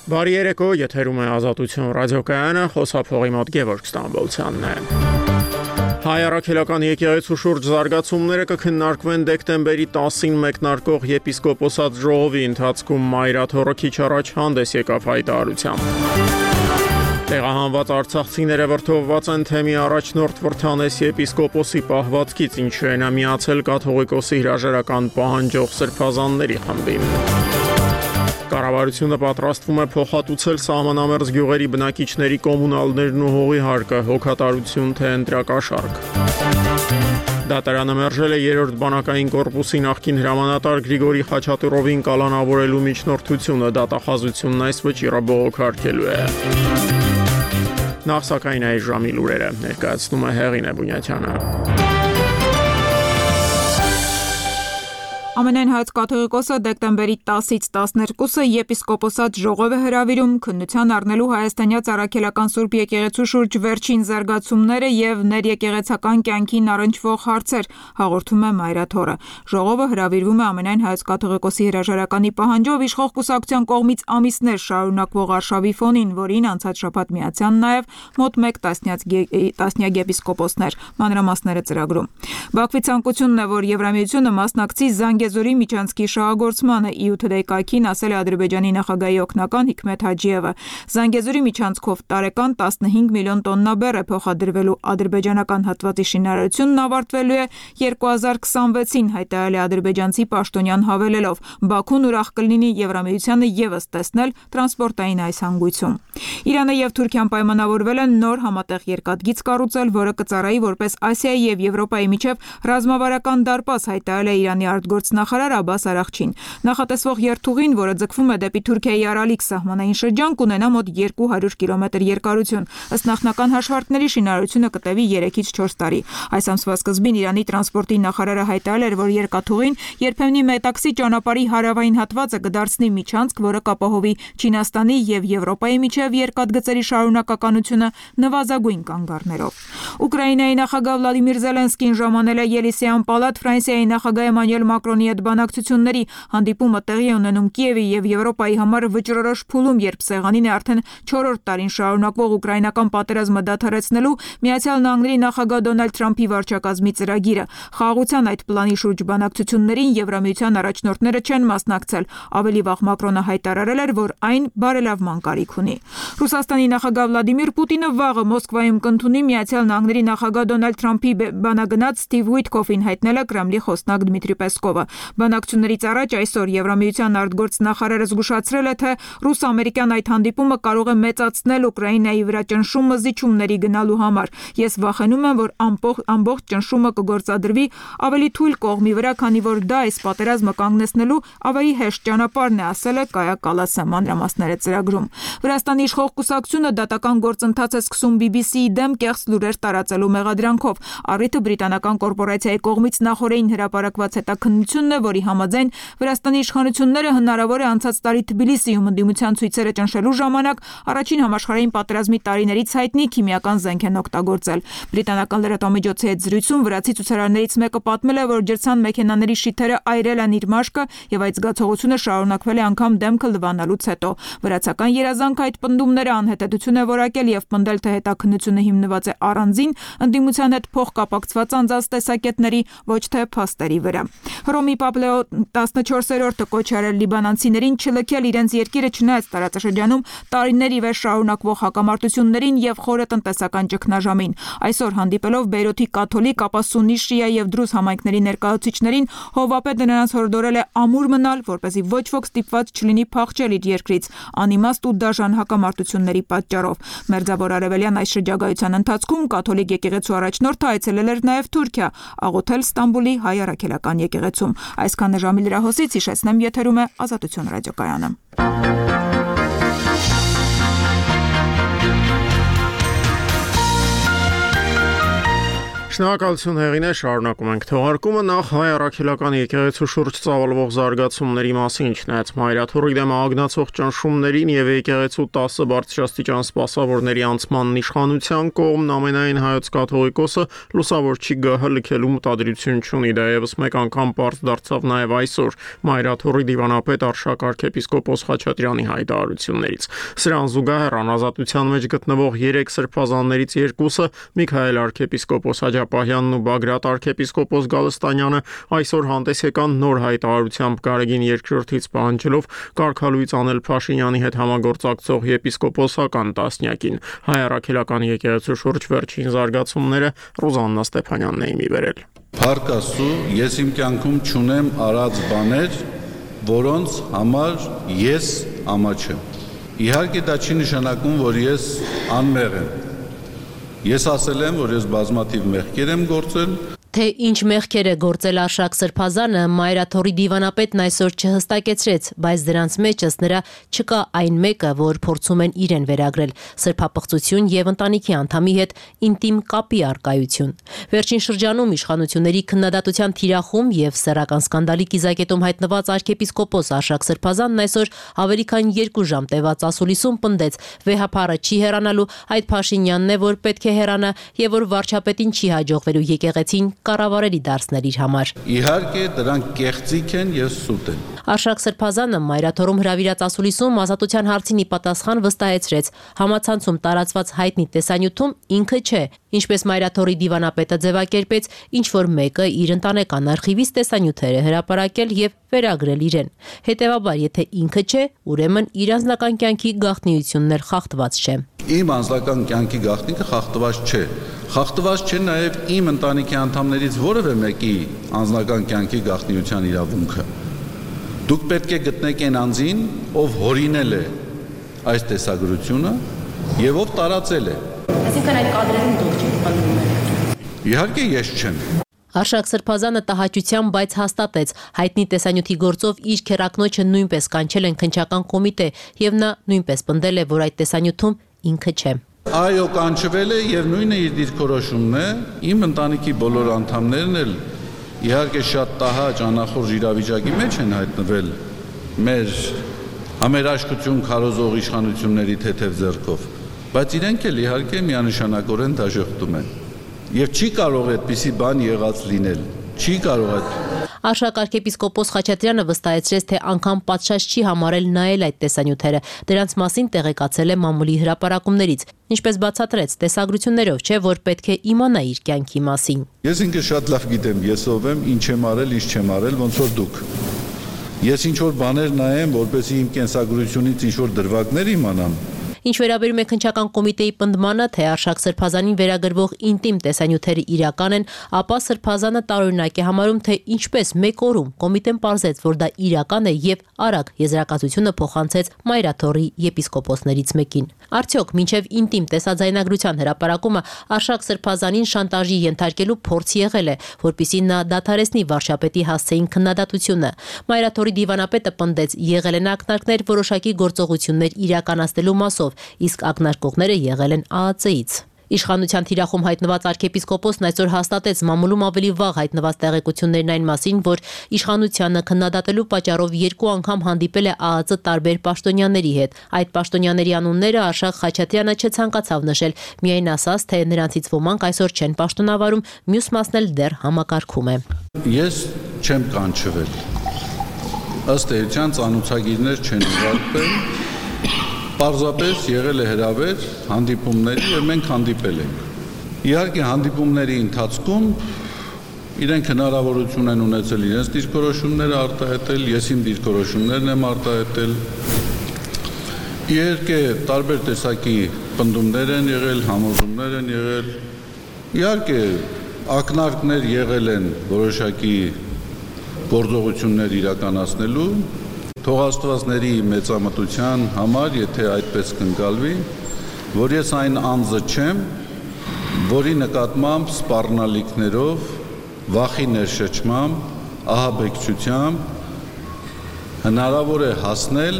Բարի երեկո, եթերում է Ազատություն ռադիոկայանը, խոսափողի մոտ Գևորգ Ստամբոլցյանն է։ Հայ առաքելական եկեղեցու շուրջ զարգացումները կքննարկվեն դեկտեմբերի 10-ին մեկնարկող եպիսկոպոսատ ժողովի ընթացքում Մայրաթորը քիչ առաջ հանդես եկավ հայտարարությամբ։ Տեղահանված արցախցիները վրդովված են թեմի առաջնորդ Վրթանես եպիսկոպոսի պահվածքից, ինչը նա միացել կաթողիկոսի հրաժարական պահանջող սրբազանների խմբին։ Կառավարությունը պատրաստվում է փոխհատուցել սահմանամերձ գյուղերի բնակիչների կոմունալներն ու հողի հարկը, հոգատարություն թե ընտրակաշառք։ Դատարանը մերժել է երրորդ բանակային կորպուսի նախկին հրամանատար Գրիգորի Խաչատուրովին կալանավորելու միջնորդությունը, դատախազությունն այս վճիռը բողոքարկելու է։ Նախ սակայն այս ժամի լուրերը ներկայացնում է Հեղինե Բունյաթյանը։ Ամենայն հայոց կաթողիկոսը դեկտեմբերի 10-ից 12-ը եպիսկոպոսատ ժողով է հրավիրում քննության առնելու հայաստանյաց առաքելական Սուրբ եկեղեցու շուրջ վերջին զարգացումները եւ ներեկեղեցական կյանքին առնչվող հարցեր, հաղորդում է Մայրաթորը։ Ժողովը հրավիրվում է ամենայն հայոց կաթողիկոսի հրաժարականի պահանջով իշխող կուսակցության կողմից ամիսներ շարունակվող արշավի ֆոնին, որին անցած շաբաթ միացան նաեւ մոտ 1 տասնյակ եպիսկոպոսներ։ Մանրամասները ծրագրում։ Բաքվի ցանկությունն է, որ Եվրամիությունը մասնակցի Զանգեզուրի միջանցքի շահագործմանը, EU Today կայքին ասել է Ադրբեջանի նախագահի օգնական Հիկմեթ Հաջիևը։ Զանգեզուրի միջանցքով տարեկան 15 միլիոն տոննա բեռ է փոխադրվելու, ադրբեջանական հատվածի շինարարությունն ավարտվելու է 2026-ին, հայտարարել է ադրբեջանցի պաշտոնյան հավելելով։ Բաքուն ուրախ կլինի Եվրամիությանը եւս տեսնել տրանսպորտային այս հանգույցում։ Իրանը եւ Թուրքիան պայմանավորվել են նոր համատեղ երկաթգիծ կառուցել, որը կծառայի որպես Ասիայի եւ Եվրոպայի միջև ռազմավարական դարպաս, հայտարարել է Իրանի արտգործնախարար Աբբաս Արաղչին։ Նախատեսվող երթուղին, որը ձգվում է դեպի Թուրքիայի Արալիկ սահմանային շրջան, կունենա մոտ 200 կիլոմետր երկարություն։ Ըստ նախնական հաշվարկների շինարարությունը կտևի 3-ից 4 տարի։ Այս ամսվա սկզբին Իրանի տրանսպորտի նախարարը հայտարարել էր, որ երկաթուղին երբեմնի Մետաքսի ճանապարհի հարավային հատվածը կդարձնի միջանցք, որը կապահովի Չինաստանի եւ Եվրոպայի միջև երկաթգծերի շարունակականությունը նվազագույն կանգառներով։ Ուկրաինայի նախագահ Վլադիմիր Զելենսկին ժամանել է Ելիսեյան պալատ Ֆրանսիայի նախագահ Էմանուել Մակրոնի հետ բանակցությունների։ Հանդիպումը տեղի է ունենում Կիևի եւ Եվրոպայի համար վճռորոշ փուլում, երբ սեղանին է արդեն 4-րդ տարին շարունակվող ուկրաինական պատերազմը դադարեցնելու Միացյալ Նահանգների նախագահ Դոնալդ Թրամփի վարչակազմի ծրագիրը։ Խաղաղության այդ պլանի շուրջ բանակցություններին Եվրամիության առաջնորդները չեն մասնակցել։ Ավելի վաղ Մակրոնը հայտարարել էր, որ այն բարելավման կարիք ունի։ Ռուսաստանի նախագահ Վլադիմիր Պուտինը վաղը Մոսկվայում կընդունի Միացյալ Նահանգների նախագահ Դոնալդ Թրամփի բանագնաց Սթիվ Ուիթքոֆին, հայտնել է Կրեմլի խոսնակ Դմիտրի Պեսկովը։ Բանակցություններից առաջ այսօր Եվրամիության արտգործնախարարը զգուշացրել է, թե ռուս-ամերիկյան այդ հանդիպումը կարող է մեծացնել Ուկրաինայի վրա ճնշումը զիջումների գնալու համար։ Ես վախենում եմ, որ ամբողջ ճնշումը կգործադրվի ավելի թույլ կողմի վրա, քանի որ դա այս պատերազմը կանգնեցնելու ավելի հեշտ ճանապարհն է, ասել է Կայա Կալասը, մանրամասները ծրագրում։ Վրաստանի իշխող կուսակցությունը դատական գործընթաց է սկսում BBC-ի դեմ կեղծ լուրեր տարածելու մեղադրանքով։ Առիթը բրիտանական կորպորացիայի կողմից նախորդին հրապարակված հետաքննությունն է, որի համաձայն Վրաստանի իշխանությունները հնարավոր է անցած տարի Թբիլիսիում ընդդիմության ցույցերը ճնշելու ժամանակ առաջին համաշխարհային պատերազմի տարիներից հայտնի քիմիական զենք են օգտագործել։ Բրիտանական լրատվամիջոցի հետ զրույցում վրացի ցուցարարներից մեկը պատմել է, որ ջրցան մեքենաների շիթերը այրել են իր մաշկը եւ այդ զգացողությունը շարունակվել է անգամ դեմքը լվանալուց հետո։ Վրացական երազանքը այդ պնդումները անհետեթություն է որակել եւ պնդել, թե հետաքննությունը հիմնված է առանձին ընդդիմության հետ փոխկապակցված անձանց տեսակետների, ոչ թե փաստերի վրա։ Հռոմի Պապ Լեո 14-րդը կոչ արել լիբանանցիներին չլքել իրենց երկիրը, չնայած տարածաշրջանում տարիներ ի վեր շարունակվող հակամարտություններին եւ խորը տնտեսական ճգնաժամին։ Այսօր հանդիպելով Բեյրութի կաթոլիկ, ապա սուննի, շիա եւ դրուզ համայնքների ներկայացուցիչներին, Հովվապետը նրանց հորդորել է ամուր մնալ, որպեսզի ոչ ոք ստիպված չլինի փախչել իր երկրից անիմաստ ու դաժան հակամարտությունների պատճառով։ Մերձավոր արևելյան այս շրջագայության ընթացքում կաթոլիկ եկեղեցու առաջնորդը այցելել էր նաեւ Թուրքիա, աղոթել Ստամբուլի հայ առաքելական եկեղեցում։ Այսքանը ժամի լրահոսից, հիշեցնեմ, եթերում է Ազատություն ռադիոկայանը։ Շնորհակալություն Հեղինե, շարունակում ենք թողարկումը նախ հայ առաքելական եկեղեցու շուրջ ծավալվող զարգացումների մասին չնայած Մայրաթորի դեմ ագնացող ճնշումներին եւ եկեղեցու 10 բարձրաստիճան սպասավորների անցմանն իշխանության կողմն ամենայն հայոց կաթողիկոսը լուսավորչի գահը լքելու մտադրություն չունի, դա եւս մեկ անգամ պարզ դարձավ նաեւ այսօր Մայրաթորի դիվանապետ Արշակ arczepiskopos Խաչատրյանի հայտարարություններից։ Սրան զուգահեռ անազատության մեջ գտնվող 3 սրբազաններից երկուսը Միքայել arczepiskopos Աջապահյանն ու Բագրատ arczepiskopos Գալստանյանը այսօր հանդես եկան նոր հայտարարությամբ Գարեգին երկրորդից պահանջելով կարգալույծ անել Փաշինյանի հետ համագործակցող եպիսկոպոսական տասնյակին։ Հայ առաքելական եկեղեցու շուրջ վերջին զարգացումները Ռոզաննա Ստեփանյանն է մի վերել։ Փառք Աստծո, ես իմ կյանքում չունեմ արած բաներ, որոնց համար ես ամաչ եմ։ Իհարկե դա չի նշանակում, որ ես անմեղ եմ։ Ես ասել եմ, որ ես բազմաթիվ մեղքեր եմ գործել։ Թե ինչ մեղքեր է գործել Արշակ Սրբազանը, Մայրաթորի դիվանապետն այսօր չհստակեցրեց, բայց դրանց մեջ ըստ նրա չկա այն մեկը, որ փորձում են իրեն վերագրել՝ սրբապղծություն եւ ընտանիքի անդամի հետ ինտիմ կապի առկայություն։ Վերջին շրջանում իշխանությունների քննադատության թիրախում եւ սեռական սկանդալի կիզակետում հայտնված arczepiskopos Արշակ Սրբազանն այսօր ավելի քան 2 ժամ տևած ասուլիսում պնդեց՝ վեհափառը չի հեռանալու, այդ Փաշինյանն է, որ պետք է հեռանա եւ որ վարչապետին չի հաջողվելու եկեղեցին կառավարելի դարձնել իր համար։ Իհարկե դրանք կեղծիք են եւ սուտ են։ Արշակ Սրբազանը Մայրաթորում հրավիրած ասուլիսում ազատության հարցին ի պատասխան վստահեցրեց, համացանցում տարածված հայտնի տեսանյութում ինքը չէ, ինչպես Մայրաթորի դիվանապետը ձևակերպեց, ինչ որ մեկը իր ընտանեկան արխիվից տեսանյութեր է հրապարակել եւ վերագրել իրեն։ Հետևաբար, եթե ինքը չէ, ուրեմն իր անձնական կյանքի գաղտնիությունն էլ խախտված չէ։ Իմ անձնական կյանքի գաղտնիքը խախտված չէ։ Խախտված չէ նաև իմ ընտանիքի անդամներից որևէ մեկի անձնական կյանքի գաղտնիության իրավունքը։ Դուք պետք է գտնեք այն անձին, ով հորինել է այս տեսագրությունը եւ ով տարածել է։ Այսինքն այդ կադրերում դուք չեք պատմում։ Իհարկե ես չեմ։ Արշակ Սրբազանը տհաճությամբ, բայց հաստատեց, հայտնի տեսանյութի գործով իր քեռակնոջը նույնպես կանչել են քննչական կոմիտե եւ նա նույնպես պնդել է, որ այդ տեսանյութում ինքը չէ։ Այո, կանչվել է եւ նույնը իր դիրքորոշումն է։ Իմ ընտանիքի բոլոր անդամներն էլ իհարկե շատ տհաճ անախորժ իրավիճակի մեջ են հայտնվել մեր համերաշխություն քարոզող իշխանությունների թեթև ձեռքով, բայց իրենք էլ իհարկե միանշանակորեն դաժոխտում են։ Եվ չի կարող այդպիսի բան եղած լինել։ Չի կարող այդ։ Արշակ arczepiskopos Խաչատրյանը վստահեցրեց, թե անգամ պատշաճ չի համարել նայել այդ տեսանյութերը։ Դրանց մասին տեղեկացել է մամուլի հրապարակումներից, ինչպես բացատրեց, տեսագրություններով չէ, որ պետք է իմանա իր կյանքի մասին։ Ես ինքը շատ լավ գիտեմ, ես ով եմ, ինչ եմ արել, ինչ չեմ արել, ոնց որ դուք։ Ես ինչ որ բաներ նայեմ, որպեսզի իմ կենսագրությունից ինչ որ դրվագներ իմանամ։ Ինչ վերաբերում է քննչական կոմիտեի պնդմանը, թե Արշակ Սրբազանին վերագրվող ինտիմ տեսանյութերը իրական են, ապա Սրբազանը տարօրինակ է համարում, թե ինչպես մեկ օրում կոմիտեն պարզեց, որ դա իրական է եւ արագ եզրակացությունը փոխանցեց Մայրաթորի եպիսկոպոսներից մեկին։ Արդյոք մինչև ինտիմ տեսաձայնագրության հրապարակումը Արշակ Սրբազանին շանտաժի ենթարկելու փորձ եղել է, որpիսի նա դադարեցնի վարչապետի հասցեին քննադատությունը։ Մայրաթորի դիվանապետը պնդեց, եղել են ակնարկներ որոշակի գործողություններ իրականացնելու մասով, իսկ ակնարկողները եղել են ԱԱՑ-ից։ Իշխանության թիրախում հայտնված arczepiskoposն այսօր հաստատեց մամուլում ավելի վաղ հայտնված տեղեկություններն այն մասին, որ իշխանությանը քննադատելու պատճառով 2 անգամ հանդիպել է ԱԱՑ տարբեր պաշտոնյաների հետ։ Այդ պաշտոնյաների անունները Արշակ Խաչատրյանը չցանկացավ նշել, միայն ասաց, թե նրանցից ոմանք այսօր չեն պաշտոնավարում, մյուս մասն էլ դեռ համակարգում է։ Ես չեմ կանչվել։ Ըստ էության ծանոթագիրներ չեն ուղարկվել։ Պարզապես եղել է հրավեր հանդիպումների եւ մենք հանդիպել ենք։ Իհարկե հանդիպումների ընթացքում իրենք հնարավորություն են ունեցել իրենց դիրքորոշումները արտահայտել, ես իմ դիրքորոշումներն եմ արտահայտել։ Իհարկե տարբեր տեսակի պնդումներ են եղել, համոզումներ են եղել։ Իհարկե ակնարկներ եղել են որոշակի գործողություններ իրականացնելու։ Թող Աստվածների մեծամտության համար, եթե այդպես կընկալվի, որ ես այն անձը չեմ, որի նկատմամբ սպառնալիքներով, վախի ներշչմամբ, ահաբեկչությամբ հնարավոր է հասնել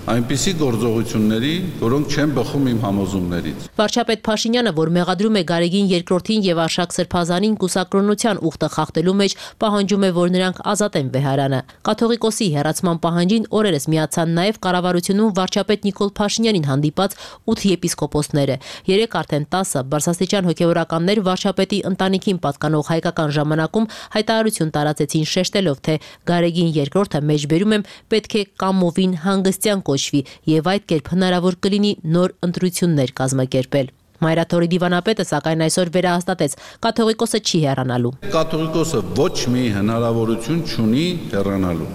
այնպիսի գործողությունների, որոնք չեն բխում իմ համոզումներից։ Վարչապետ Փաշինյանը, որ մեղադրում է Գարեգին երկրորդին եւ Արշակ Սրբազանին կուսակրոնության ուխտը խախտելու մեջ, պահանջում է, որ նրանք ազատեն Բեհարանը։ Կաթողիկոսի հեռացման պահանջին օրերս միացան նաեւ կառավարությունում վարչապետ Նիկոլ Փաշինյանին հանդիպած 8 եպիսկոպոսները։ Երեք արդեն 10 բարձրաստիճան հոգևորականներ վարչապետի ընտանիքին պատկանող հայկական ժամանակում հայտարարություն տարածեցին շեշտելով, թե Գարեգին երկրորդը մեջբերում եմ պետք է կամովին հանգստյան կոչվի եւ այդ կերպ հնարավոր կլինի նոր ընտրություններ կազմակերպել։ Մայրաթորի դիվանապետը սակայն այսօր վերահաստատեց, կաթողիկոսը չի հեռանալու։ Կաթողիկոսը ոչ մի հնարավորություն չունի հեռանալու։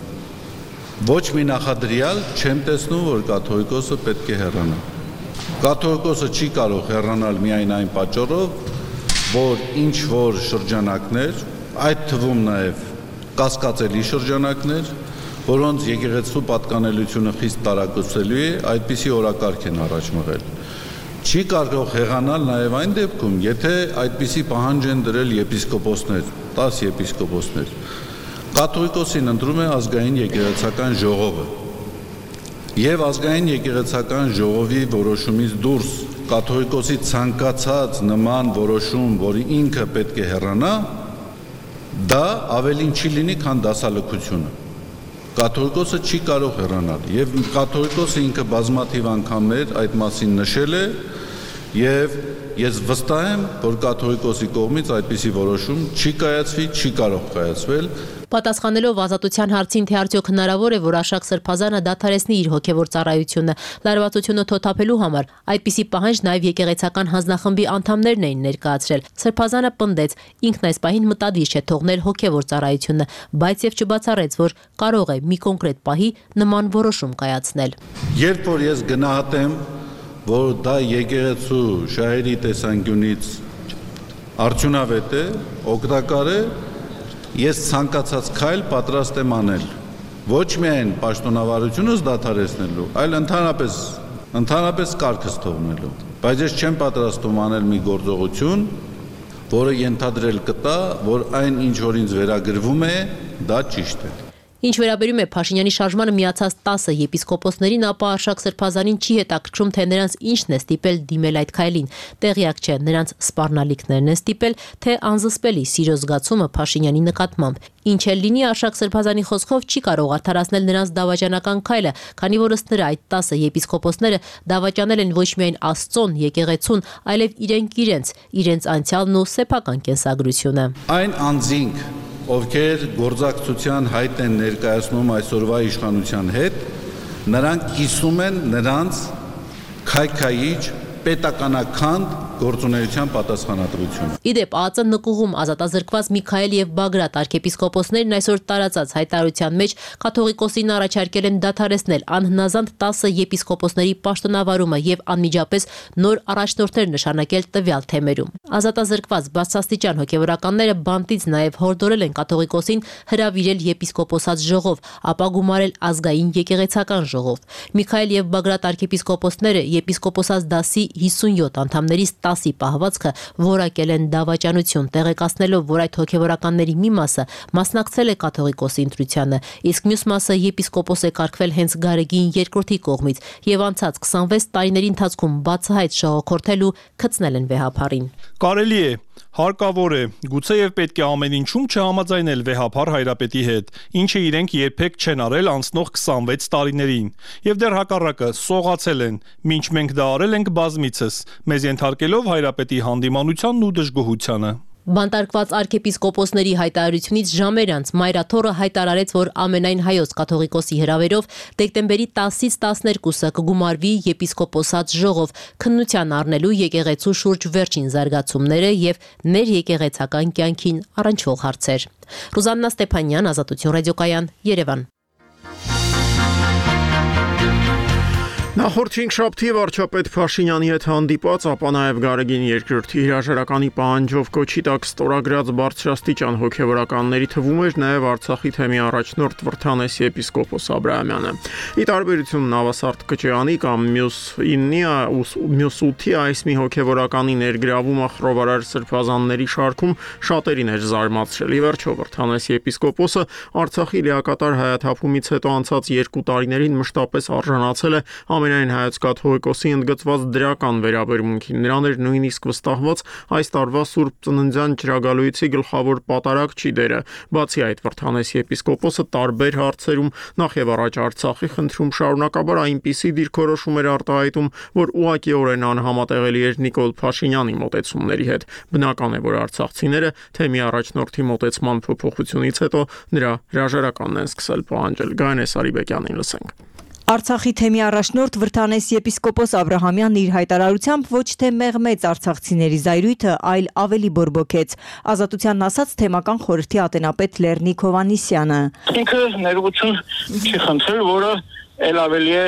Ոչ մի նախադրյալ չեմ տեսնում, որ կաթողիկոսը պետք է հեռանա։ Կաթողիկոսը չի կարող հեռանալ միայն այն պատճառով, որ ինչ որ շրջանակներ, այդ թվում նաև կասկածելի շրջանակներ, որոնց եկեղեցու պատկանելությունը խիստ տարակուսելու է, այդպիսի օրակարգ են առաջ մղել։ Չի կարող հեռանալ նաև այն դեպքում, եթե այդպիսի պահանջ են դրել եպիսկոպոսներ, 10 եպիսկոպոսներ։ Կաթողիկոսին ընտրում է ազգային եկեղեցական ժողովը։ Եվ ազգային եկեղեցական ժողովի որոշումից դուրս կաթողիկոսի ցանկացած նման որոշում, որի ինքը պետք է հեռանա, դա ավելին չի լինի, քան դասալքությունը։ Կաթողիկոսը չի կարող հեռանալ եւ կաթողիկոսը ինքը բազմաթիվ անգամներ այդ մասին նշել է եւ ես վստահ եմ, որ կաթողիկոսի կողմից այդպիսի որոշում չի կայացվի, չի կարող կայացվել։ Պատասխանելով ազատության հարցին, թե արդյոք հնարավոր է, որ Արշակ Սրբազանը դադարեցնի իր հոգևոր ծառայությունը, լարվածությունը թոթափելու համար, այդպիսի պահանջ նաև եկեղեցական հանձնախմբի անդամներն էին ներկայացրել։ Սրբազանը պնդեց, ինքն այս պահին մտադիր չէ թողնել հոգևոր ծառայությունը, բայց եւ չբացառեց, որ կարող է մի կոնկրետ պահի նման որոշում կայացնել։ Երբ որ ես գնահատեմ, որ դա եկեղեցու շահերի տեսանկյունից արդյունավետ է, օգտակար է, ես ցանկացած քայլ պատրաստ եմ անել։ Ոչ միայն պաշտոնավարությունս դադարեցնելու, այլ ընդհանրապես կարգս թողնելու։ Բայց ես չեմ պատրաստում անել մի գործողություն, որը ենթադրել կտա, որ այն ինչ որ ինձ վերագրվում է, դա ճիշտ է։ Ինչ վերաբերում է Փաշինյանի շարժմանը միացած 10 եպիսկոպոսներին, ապա Արշակ Սրբազանին չի հետաքրքրում, թե նրանց ինչն է ստիպել դիմել այդ քայլին։ Տեղյակ չէ, նրանց սպառնալիքներն են ստիպել, թե անզսպելի սիրո զգացումը Փաշինյանի նկատմամբ։ Ինչ էլ լինի, Արշակ Սրբազանի խոսքով չի կարող արդարացնել նրանց դավաճանական քայլը, քանի որ ըստ նրա այդ 10 եպիսկոպոսները դավաճանել են ոչ միայն Աստծուն, եկեղեցուն, այլև իրենց անցյալն ու սեփական կենսագրությունը։ Այն անձինք, ովքեր գործակցության հայտ են ներկայացնում այսօրվա իշխանության հետ, նրանք կիսում են նրանց քայքայիչ պետականաքանդ գործունեության պատասխանատվությունը։ Իդեպ ԱԱԾ նկուղում ազատազրկված Միքայել եւ Բագրատ արքեպիսկոպոսներն այսօր տարածած հայտարարության մեջ կաթողիկոսին առաջարկել են դադարեցնել անհնազանդ 10 եպիսկոպոսների պաշտոնավարումը եւ անմիջապես նոր առաջնորդներ նշանակել տվյալ թեմերում։ Ազատազրկված բարձրաստիճան հոգևորականները բանտից նաեւ հորդորել են կաթողիկոսին հրավիրել եպիսկոպոսած ժողով, ապա գումարել ազգային եկեղեցական ժողով։ Միքայել եւ Բագրատ արքեպիսկոպոսները եպիսկոպոսած դասի 57 անդամներից 10-ի պահվածքը որակել են դավաճանություն, տեղեկացնելով, որ այդ հոգևորականների մի մասը մասնակցել է կաթողիկոսի ընտրությանը, իսկ մյուս մասը եպիսկոպոս է կարգվել հենց Գարեգին երկրորդի կողմից եւ անցած 26 տարիների ընթացքում բացահայտ շողոքորթել ու գցնել են վեհափառին։ Կարելի է, հարկավոր է, գուցե եւ պետք է ամեն ինչում չհամաձայնել վեհափառ հայրապետի հետ, ինչը իրենք երբեք չեն արել անցնող 26 տարիներին, եւ դեռ հակառակը սողացել են, մինչ մենք դա արել ենք բազմիցս, մեզ ենթարկելով հայրապետի հանդիմանությանն ու դժգոհությանը։ Բանտարկված արքեպիսկոպոսների հայտարարությունից ժամեր անց Մայրաթորը հայտարարեց, որ ամենայն հայոց կաթողիկոսի հրավերով դեկտեմբերի 10-ից 12-ը կգումարվի եպիսկոպոսած ժողով, քննության առնելու եկեղեցու շուրջ վերջին զարգացումները եւ ներեկեղեցական կյանքին առնչվող հարցեր։ Ռուզաննա Ստեփանյան, Ազատություն ռադիոկայան, Երևան։ Նախորդ 5 շաբթի վարչապետ Փաշինյանի հետ հանդիպած, ապա նաև Գարեգին Երկրորդի հրաժարականի պահանջով կոչի տակ ստորագրած բարձրաստիճան հոգևորականների թվում էր նաև Արցախի թեմի առաջնորդ Վրթանես եպիսկոպոս Աբրահամյանը։ Ի տարբերություն Նավասարդ Կճեանի կամ մյուս 8-ի այս մի հոգևորականի ներգրավումը խռովարար սրբազանների շարքում շատերին էր զարմացրել։ Ի վերջո Վրթանես եպիսկոպոսը Արցախի լիակատար հայաթափումից հետո անցած 2 տարիներին մշտապես արժանացել է ամենայն հայոց կաթողիկոսի ընդգծված դրական վերաբերմունքին։ Նրան էր նույնիսկ վստահված այս տարվա Սուրբ Ծննդյան ճրագալույցի գլխավոր պատարագչի դերը։ Բացի այդ, Վրթանես եպիսկոպոսը տարբեր հարցերում, նախ եւ առաջ Արցախի խնդրում շարունակաբար այնպիսի դիրքորոշում էր արտահայտում, որ ուղղակիորեն անհամատեղելի էր Նիկոլ Փաշինյանի մոտեցումների հետ։ Բնական է, որ արցախցիները թեմի առաջնորդի մոտեցման փոփոխությունից հետո նրա հրաժարականն են սկսել պահանջել։ Գայանե Սարիբեկյանին լսենք։ Արցախի թեմի առաջնորդ Վրթանես եպիսկոպոս Աբրահամյանն իր հայտարարությամբ ոչ թե մեղմեց արցախցիների զայրույթը, այլ ավելի բորբոքեց։ Ազատությանն ասաց թեմական խորհրդի ատենապետ Լեռնիկ Հովհաննիսյանը։ Ինքը ներողություն չի խնդրել, որը ել ավելի է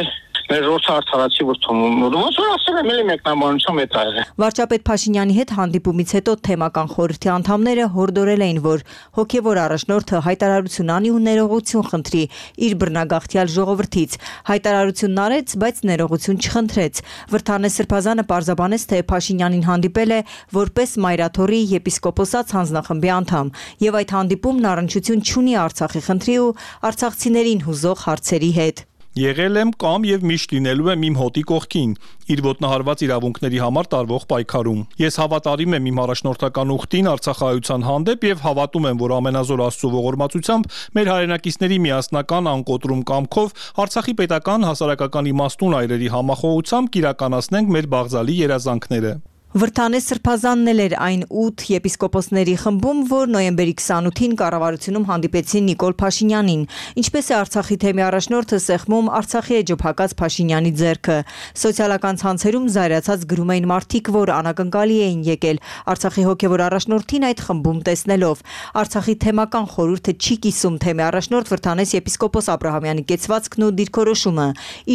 մեր ռոս արդարացի վրթում։ Ոնց որ ասել եմ, էլի մեկնաբանություն է տալը։ Վարչապետ Փաշինյանի հետ հանդիպումից հետո թեմական խորհրդի անդամները հորդորել էին, որ հոգևոր առաջնորդը հայտարարություն անի ու ներողություն խնդրի իր բռնագաղթյալ ժողովրդից։ Հայտարարությունն արեց, բայց ներողություն չխնդրեց։ Վրթանես Սրբազանը պարզաբանեց, թե Փաշինյանին հանդիպել է որպես Մայրաթորի եպիսկոպոսած հանձնախմբի անդամ, եւ այդ հանդիպումն առնչություն չունի Արցախի խնդրի ու արցախցիներին հուզող հարցերի հետ։ Եղել եմ կամ եւ միշտ լինելու եմ իմ հոտի կողքին, իր ոտնահարված իրավունքների համար տարվող պայքարում։ Ես հավատարիմ եմ իմ առաջնորդական ուխտին Արցախայության հանդեպ եւ հավատում եմ, որ ամենազոր Աստծո ողորմածությամբ մեր հայրենակիցների միասնական անկոտրում կամքով Արցախի պետական հասարակական իմաստուն այրերի համախոհությամբ կիրականացնենք մեր բաղձալի երազանքները։ Վրթանես Սրբազանն էր այն 8 եպիսկոպոսների խմբում, որ նոյեմբերի 28-ին կառավարությունում հանդիպեցին Նիկոլ Փաշինյանին։ Ինչպես է Արցախի թեմի առաջնորդը սեղմում Արցախի էջոփակած Փաշինյանի ձեռքը։ Սոցիալական ցանցերում զայրացած գրում էին մարդիկ, որ անակնկալի էին եկել Արցախի հոգևոր առաջնորդին այդ խմբում տեսնելով։ Արցախի թեմական խորհուրդը չի կիսում թեմի առաջնորդ Վրթանես եպիսկոպոս Աբրահամյանի կեցվածքն ու դիրքորոշումը։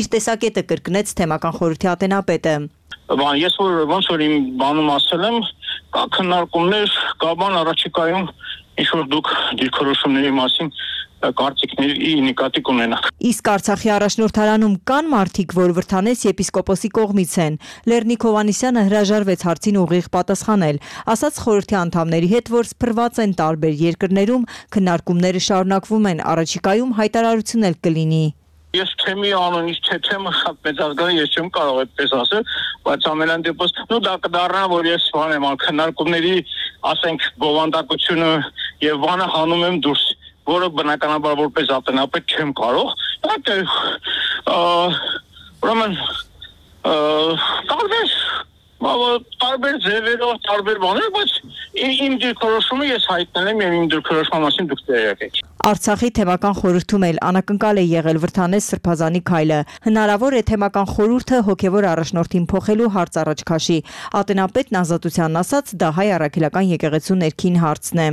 Իր տեսակետը կրկնեց թեմական խորհրդի ատենապետը։ Ես ոնց որ իմ բանում ասել եմ, կա քննարկումներ, կա բան առաջիկայում, ինչ որ դուք դիրքորոշումների մասին կարծիքների նկատի կունենաք։ Իսկ Արցախի առաջնորդարանում կան մարդիկ, որ Վրթանես եպիսկոպոսի կողմից են։ Լեռնիկ Հովհաննիսյանը հրաժարվեց հարցին ուղիղ պատասխանել, ասաց խորհրդի անդամների հետ, որ սփռված են տարբեր երկրներում, քննարկումները շարունակվում են, առաջիկայում հայտարարություն էլ կլինի։ Ես թեմի անունից թեմը շատ մեծ ազգային, ես չեմ կարող այդպես ասել, բայց ամենայն դեպս դա կդառնա, որ ես բանեմ քննարկումների, ասենք, բովանդակությունը եւ բանը հանում եմ դուրս, որը բնականաբար որպես ատենապետ չեմ կարող։ Ուրեմն տարբեր ձևերով, տարբեր բաներ, բայց իմ դիրքորոշումը ես հայտնել եմ եւ իմ դիրքորոշման մասին դուք տեղյակ եք։ Արցախի թեմական խորհրդում էլ անակնկալ է եղել Վրթանես Սրբազանի քայլը։ Հնարավոր է թեմական խորհուրդը հոգևոր առաջնորդին փոխելու հարց առաջ քաշի։ Ատենապետն Ազատությանն ասաց, դա հայ առաքելական եկեղեցու ներքին հարցն է։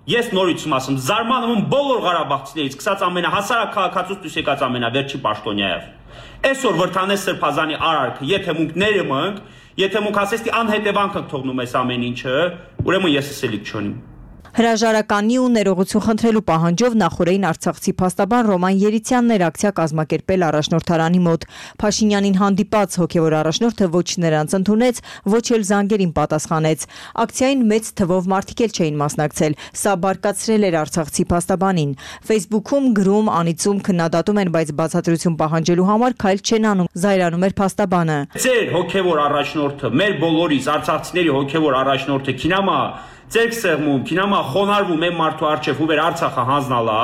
Ես նորից եմ ասում, զարմանում եմ բոլոր ղարաբաղցիներից, սկսած ամենահասարակ քաղաքացուց դուրս եկած ամենավերջի պաշտոնյայով։ Այսօր Վրթանես Սրբազանի արարքը, եթե մենք ներմենք, եթե մենք ասես անհետևանք ենք թողնում այս ամեն ինչը, ուրեմն ես ասելիք չունիմ։ Հրաժարականի ու ներողություն խնդրելու պահանջով նախորդին արցախցի փաստաբան Ռոման Երիցյանն էր ակցիա կազմակերպել առաջնորդարանի մոտ։ Փաշինյանին հանդիպած հոգևոր առաջնորդը ոչ նրանց ընդունեց, ոչ էլ զանգերին պատասխանեց։ Ակցիային մեծ թվով մարդիկ էլ չէին մասնակցել։ Սա բարկացրել էր արցախցի փաստաբանին։ Facebook-ում գրում, անիծում, քննադատում են, բայց բացատրություն պահանջելու համար քայլ չեն անում, զայրանում էր փաստաբանը։ Ձեր հոգևոր առաջնորդը, մեր բոլորիս արցախցիների հոգևոր առաջնորդը քինամա Ձերք սեղմում, քինամա խոնարհվում է մարդու արչև, ու վեր Արցախը հանձնալա,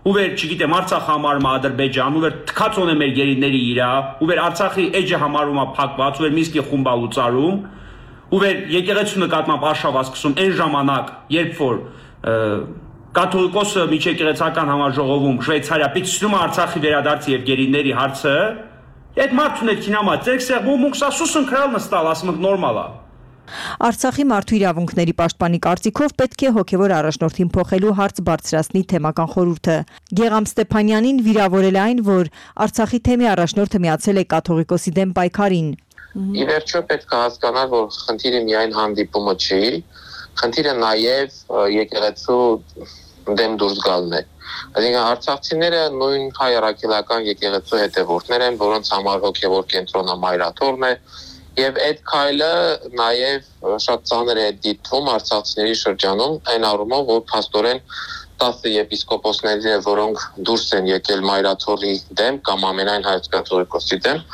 ու վեր, չգիտեմ, Արցախը համարում է Ադրբեջան, ու վեր թքածոն է մեր գերիների իրա, ու վեր Արցախի էջը համարում է փակված, ու վեր Միսկի խումբա լուծարում, ու վեր եկեղեցու նկատմամբ արշավա սկսում այն ժամանակ, երբ որ կաթողիկոսը միջեկեղեցական համաժողովում Շվեյցարիա պիտի Արցախի վերադարձի եւ գերիների հարցը, այդ մարդուն է քինամա, ձերք սեղմում, մուքսասուսն քրալ նստալ, ասում եք նորմալ է։ Արցախի մարդու իրավունքների պաշտպանի կարծիքով պետք է հոգևոր առաջնորդին փոխելու հարց բարձրացնի թեմական խորհուրդը։ Գեգամ Ստեփանյանին վիրավորել այն, որ Արցախի թեմի առաջնորդը միացել է կաթողիկոսի դեմ պայքարին։ Ի վերջո պետք է հասկանալ, որ խնդիրը միայն հանդիպումը չի, խնդիրը նաև եկեղեցու դեմ դուրս գալն է։ Այսինքն արցախցիները նույն հայ առաքելական եկեղեցու հետևորդներ են, որոնց համար հոգևոր կենտրոնը մայրաթորն է, եւ այդ քայլը նաև շատ ծանր է դիտվում արցախցիների շրջանում, այն առումով, որ փաստորեն 10 եպիսկոպոսները, որոնք դուրս են եկել մայրաթորի դեմ կամ ամենայն հայոց կաթողիկոսի դեմ,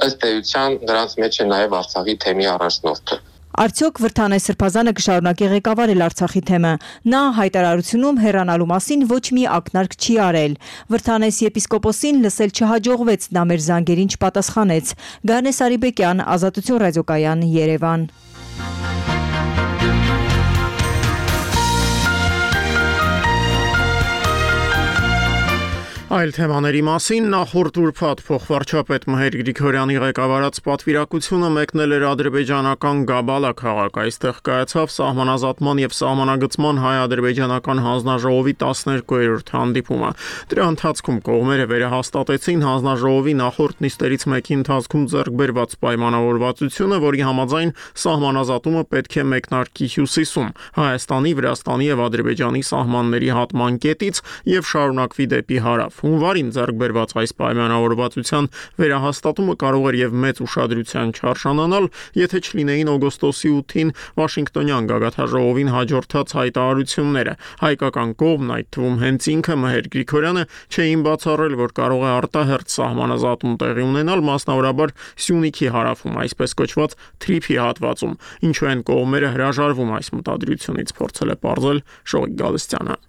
ըստ էության նրանց մեջ է նաև Արցախի թեմի առաջնորդը։ Արդյոք Վրթանե Սրբազանը կշարունակի ղեկավարել Արցախի թեմը։ Նա հայտարարությունում հեռանալու մասին ոչ մի ակնարկ չի արել։ Վրթանես եպիսկոպոսին լսել չհաջողվեց, նա մեր զանգերին չպատասխանեց։ Գարնե Սարիբեկյան, Ազատություն ռադիոկայան, Երևան։ Այլ թեմաների մասին նախորդ ուրբաթ փոխվարչապետ Մհեր Գրիգորյանի ղեկավարած պատվիրակությունը մեկնել էր ադրբեջանական Գաբալա քաղաք։ Այստեղ կայացավ սահմանազատման եւ սահմանագծման հայ-ադրբեջանական հանձնաժողովի 12-րդ հանդիպումը։ Դրա ընթացքում կողմերը վերահաստատեցին հանձնաժողովի նախորդ նիստերից մեկի ընթացքում ձեռք բերված պայմանավորվածությունը, որի համաձայն սահմանազատումը պետք է մեկնարկի հյուսիսում, Հայաստանի, Վրաստանի եւ Ադրբեջանի սահմանների հատման կետից եւ շարունակվի դեպի հարավ։ Հունվարին ձեռք բերված այս պայմանավորվածության վերահաստատումը կարող էր եւ մեծ ուշադրության չարժանանալ, եթե չլինեին օգոստոսի 8-ին Վաշինգտոնյան գագաթաժողովին հաջորդած հայտարարությունները։ Հայկական կողմն, այդ թվում հենց ինքը Մհեր Գրիգորյանը, չէին բացառել, որ կարող է արտահերթ սահմանազատում տեղի ունենալ, մասնավորաբար Սյունիքի հարավում, այսպես կոչված Թրիփի հատվածում, ինչու են կողմերը հրաժարվում այս մտադրությունից, փորձել է պարզել Շողիկ Գալստյանը։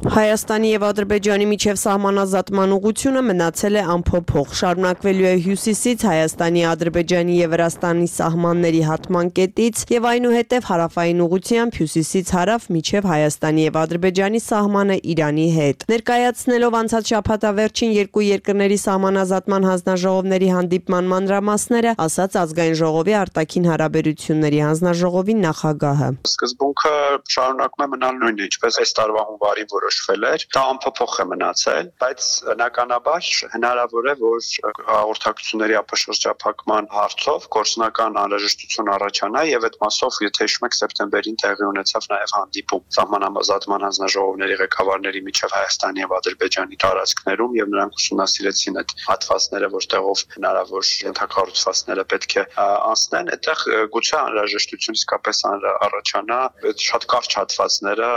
Հայաստանի եւ Ադրբեջանի միջև սահմանազատման ուղղությունը մնացել է անփոփոխ։ Շարունակվելու է հյուսիսից Հայաստանի, Ադրբեջանի եւ Վրաստանի սահմանների հատման կետից եւ այնուհետեւ հարավային ուղղությամբ հյուսիսից հարավ միջև Հայաստանի եւ Ադրբեջանի սահմանը Իրանի հետ։ Ներկայացնելով անցած շաբաթավերջին երկու երկրների սահմանազատման հանձնաժողովների հանդիպման մանրամասները, ասաց Ազգային ժողովի արտաքին հարաբերությունների հանձնաժողովի նախագահը։ Սկզբունքը շարունակում է մնալ նույնը, ինչպես այս տարվա հունվարին որոշվել էր, դա անփոփոխ է մնացել, բայց բնականաբար հնարավոր է, որ հաղորդակցությունների ապաշրջափակման հարցով գործնական անհրաժեշտություն առաջանա եւ այդ մասով, եթե հիշում եք, սեպտեմբերին տեղի ունեցավ նաեւ հանդիպում սահմանազատման հանձնաժողովների ղեկավարների միջև Հայաստանի եւ Ադրբեջանի տարածքներում եւ նրանք ուսումնասիրեցին այդ հատվածները, որտեղով հնարավոր ենթակառուցվածքները պետք է անցնեն, այդտեղ գուցե անհրաժեշտություն իսկապես առաջանա այդ շատ կարճ հատվածները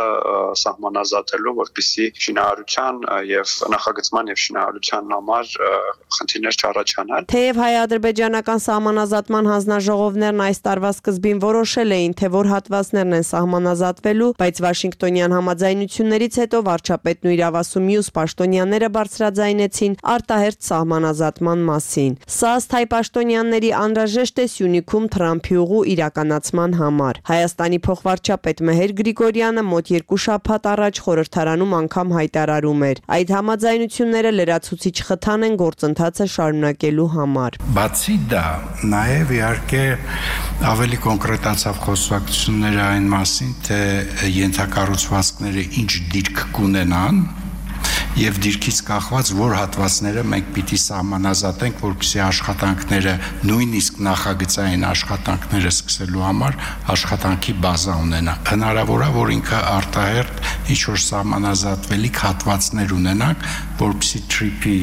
սահմանազատելու, որպեսզի շինարարության եւ նախագծման եւ շինարարության համար խնդիրներ չառաջանան։ Թեև հայ-ադրբեջանական սահմանազատման հանձնաժողովներն այս տարվա սկզբին որոշել էին, թե որ հատվածներն են սահմանազատվելու, բայց Վաշինգտոնյան համաձայնություններից հետո վարչապետն ու իրավասու մյուս պաշտոնյաները բարձրաձայնեցին արտահերթ սահմանազատման մասին։ Սա ըստ հայ պաշտոնյաների անհրաժեշտ է Սյունիքում Թրամփի ուղու իրականացման համար։ Հայաստանի փոխվարչապետ Մհեր Գրիգորյանը մոտ 2 շաբաթ առաջ խորհրդարանում անգամ հայտարարում էր. այդ համաձայնությունները լրացուցիչ խթան են գործընթացը շարունակելու համար։ Բացի դա, նաև իհարկե ավելի կոնկրետացավ խոսակցությունները այն մասին, թե ենթակառուցվածքները ինչ դիրք կունենան եւ դիրքից կախված որ հատվածները մենք պիտի սահմանազատենք, որպեսզի աշխատանքները, նույնիսկ նախագծային աշխատանքները սկսելու համար աշխատանքի բազա ունենա։ Հնարավոր է, որ ինքը արտահերթ ինչ որ սահմանազատվելիք հատվածներ ունենանք, որպեսզի Թրիփի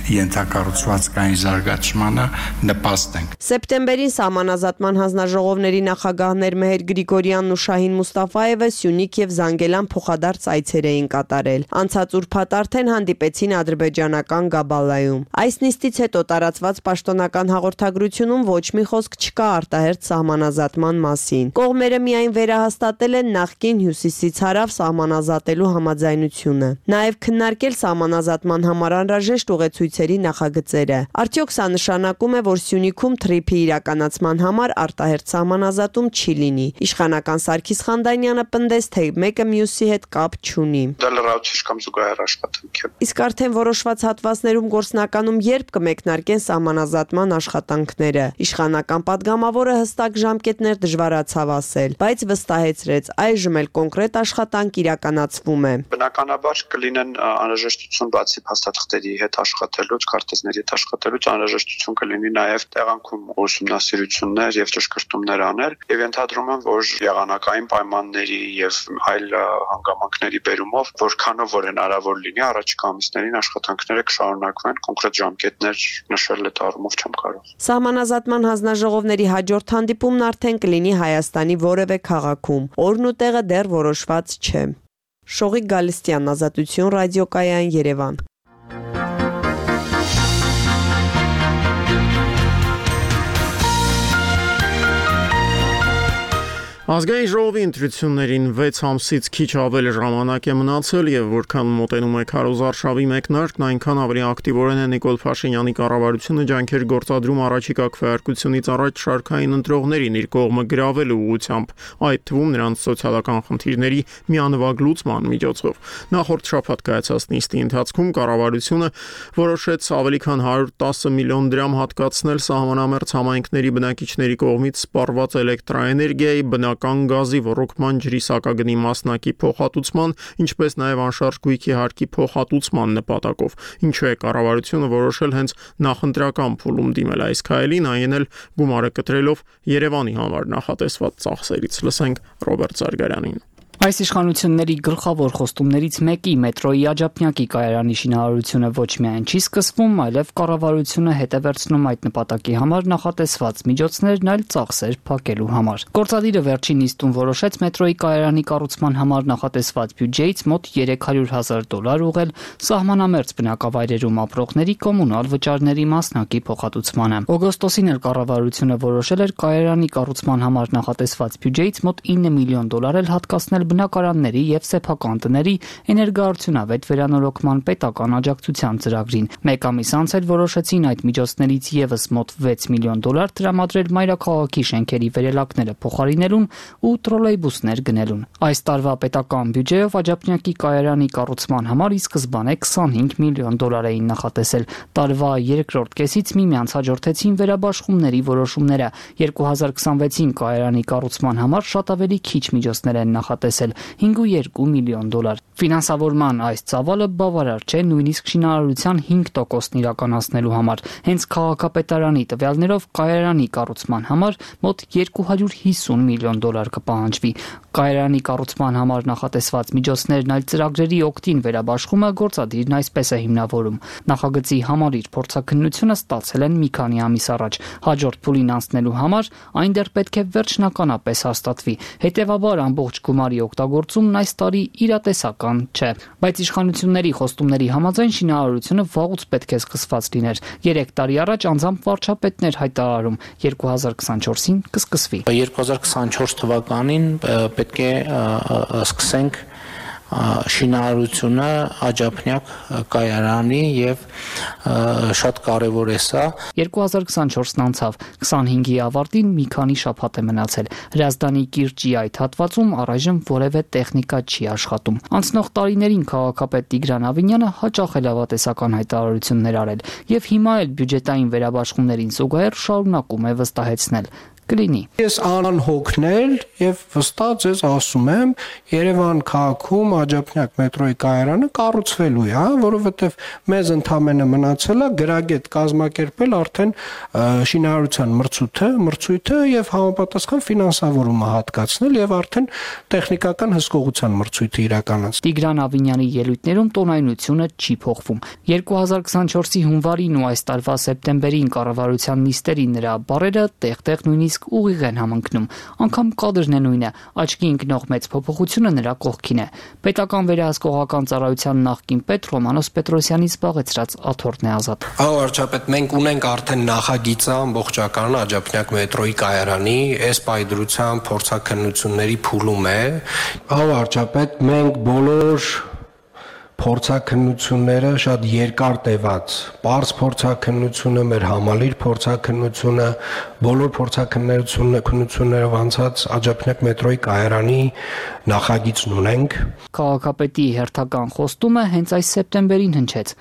ենթակառուցվածքային զարգացմանը նպաստենք։ Սեպտեմբերին սահմանազատման հանձնաժողովների նախագահներ Մհեր Գրիգորյանն ու Շահին Մուստաֆաևը Սյունիք եւ Զանգելան փոխադարձ այցեր էին կատարել։ Անցած ուրբաթ արդեն հանդիպեցին ադրբեջանական Գաբալայում։ Այս նիստից հետո տարածված պաշտոնական հաղորդագրությունում ոչ մի խոսք չկա արտահերթ սահմանազատման մասին։ Կողմերը միայն վերահաստատել են նախկին հյուսիսից հարավ սահմանազատելու համաձայնությունը։ Նաեւ քննարկել սահմանազատման համար անհրաժեշտ ուղեցույց զորամասնությունների նախագծերը։ Արդյոք սա նշանակում է, որ Սյունիքում թրիփի իրականացման համար արտահերթ սահմանազատում չի լինի։ Իշխանական Սարգիս Խանդանյանը պնդեց, թե մեկը մյուսի հետ կապ չունի։ Դա լրացուցիչ կամ զուգահեռ աշխատանք է։ Իսկ արդեն որոշված հատվածներում գործնականում երբ կմեկնարկեն սահմանազատման աշխատանքները։ Իշխանական падգամավորը հստակ ժամկետներ դժվարացավ ասել, բայց վստահեցրեց, այժմ էլ կոնկրետ աշխատանք իրականացվում է։ Բնականաբար կլինեն անհրաժեշտություն բացի փաստաթղթերի հետ աշխատելուց, քարտեզների հետ աշխատելուց անհրաժեշտություն կլինի նաև տեղանքում ուսումնասիրություններ եւ ճշգրտումներ անել եւ ենթադրում եմ, որ եղանակային պայմանների եւ այլ հանգամանքների բերումով որքանով որ հնարավոր լինի առաջիկա ամիսներին աշխատանքները կշարունակվեն, կոնկրետ ժամկետներ նշել այդ առումով չեմ կարող։ Սահմանազատման հանձնաժողովների հաջորդ հանդիպումն արդեն կլինի Հայաստանի որևէ քաղաքում։ Օրն ու տեղը դեռ որոշված չէ։ Շողիկ Գալստյան, Ազատություն ռադիոկայան, Երևան։ Ազգային ժողովի ընտրություններին 6 ամսից քիչ ավել ժամանակ է մնացել եւ որքան մոտենում է քարոզարշավի մեկնարկն, այնքան ավելի ակտիվորեն է Նիկոլ Փաշինյանի կառավարությունը ջանքեր գործադրում առաջիկա քվեարկությունից առաջ շարքային ընտրողներին իր կողմը գրավելու ուղղությամբ, այդ թվում նրանց սոցիալական խնդիրների միանվագ լուծման միջոցով։ Նախորդ շաբաթ կայացած նիստի ընթացքում կառավարությունը որոշեց ավելի քան 110 միլիոն դրամ հատկացնել սահմանամերձ համայնքների բնակիչների կողմից սպառված էլեկտրաէներգիայի, բնական գազի, ռոռոկման ջրի սակագնի մասնակի փոխհատուցման, ինչպես նաև անշարժ գույքի հարկի փոխհատուցման նպատակով։ Ինչու է կառավարությունը որոշել հենց նախընտրական փուլում դիմել այս քայլին, այն էլ գումարը կտրելով Երևանի համար նախատեսված ծախսերից։ Լսենք Ռոբերտ Զարգարյանին։ Այս իշխանությունների գլխավոր խոստումներից մեկի մետրոյի Աջափնյակի կայարանի շինարարությունը ոչ միայն չի սկսվում, այլև կառավարությունը հետ է վերցնում այդ նպատակի համար նախատեսված միջոցներն այլ ծախսեր փակելու համար։ Գործադիրը վերջին նիստում որոշեց մետրոյի կայարանի կառուցման համար նախատեսված բյուջեից մոտ $300,000 ուղղել սահմանամերձ բնակավայրերում ապրողների կոմունալ վճարների մասնակի փոխհատուցմանը։ Օգոստոսին էլ կառավարությունը որոշել էր կայարանի կառուցման համար նախատեսված բյուջեից մոտ $9 միլիոն էլ հատկացնել բնակարանների եւ սեփական տների էներգոարդյունավետ վերանորոգման պետական աջակցության ծրագրին։ Մեկ ամիս անց էլ որոշեցին այդ միջոցներից եւս մոտ $6 միլիոն տրամադրել մայրաքաղաքի շենքերի վերելակները փոխարինելուն ու տրոլեյբուսներ գնելուն։ Այս տարվա պետական բյուջեով Աջափնյակի կայարանի կառուցման համար ի սկզբանե $25 միլիոն էին նախատեսել։ Տարվա երկրորդ կեսից միմյանց հաջորդեցին վերաբաշխումների որոշումները։ 2026-ին կայարանի կառուցման համար շատ ավելի քիչ միջոցներ են նախատեսել $5.2 միլիոն։ Ֆինանսավորման այս ծավալը բավարար չէ նույնիսկ շինարարության 5%-ն իրականացնելու համար։ Հենց քաղաքապետարանի տվյալներով կայարանի կառուցման համար մոտ $250 միլիոն կպահանջվի։ Կայարանի կառուցման համար նախատեսված միջոցներն այլ ծրագրերի օգտին վերաբաշխումը գործադիրն այսպես է հիմնավորում։ Նախագծի համալիր փորձաքննությունը ստացել են մի քանի ամիս առաջ։ Հաջորդ փուլին անցնելու համար այն դեռ պետք է վերջնականապես հաստատվի։ Հետևաբար ամբողջ գումարի օգտագործումն այս տարի իրատեսական չէ, բայց իշխանությունների խոստումների համաձայն շինարարությունը վաղուց պետք է սկսված լիներ։ 3 տարի առաջ անձամբ վարչապետներ հայտարարում 2024-ին կսկսվի։ 2024 թվականին պետք է սկսենք շինարարությունը Աջափնյակ կայարանի եւ շատ կարեւոր է սա։ 2024-ն անցավ, 25-ի ավարտին մի քանի շաբաթ է մնացել։ Հրազդանի կիրճի այդ հատվածում առայժմ որևէ տեխնիկա չի աշխատում։ Անցնող տարիներին քաղաքապետ Տիգրան Ավինյանը հաճախ է լավատեսական հայտարարություններ արել եւ հիմա էլ բյուջետային վերաբաշխումներին զուգահեռ շարունակում է վստահեցնել։ Կլինի։ Ես անհոգնել եւ վստահ ձեզ ասում եմ, Երևան քաղաքում Աջափնյակ մետրոյի կայարանը կառուցվելու է, որովհետեւ մեզ ընդամենը մնացել է գրագետ կազմակերպել արդեն շինարարության մրցույթը եւ համապատասխան ֆինանսավորումը հատկացնել եւ արդեն տեխնիկական հսկողության մրցույթը իրականացնել։ Տիգրան Ավինյանի ելույթներում տոնայնությունը չի փոխվում։ 2024-ի հունվարին ու այս տարվա սեպտեմբերին կառավարության նիստերի նրա բառերը տեղ-տեղ նույնիսկ ուղիղ են համընկնում, անգամ կադրն է նույնը, աչքի ընկնող մեծ փոփոխությունը նրա կողքին է։ Պետական վերահսկողական ծառայության նախկին պետ Ռոմանոս Պետրոսյանի զբաղեցրած աթոռն է Ազատ։ Վարչապետ, մենք ունենք արդեն նախագիծը ամբողջական Աջափնյակ մետրոյի կայարանի, այս պայդրության փորձաքննությունների փուլում է։ Վարչապետ, մենք բոլոր փորձաքննությունները շատ երկար տևած, պարզ փորձաքննությունը, մեր համալիր փորձաքննությունը, բոլոր փորձաքննություններով անցած Աջափնյակ մետրոյի կայարանի նախագիծն ունենք։ Քաղաքապետի հերթական խոստումը հենց այս սեպտեմբերին հնչեց։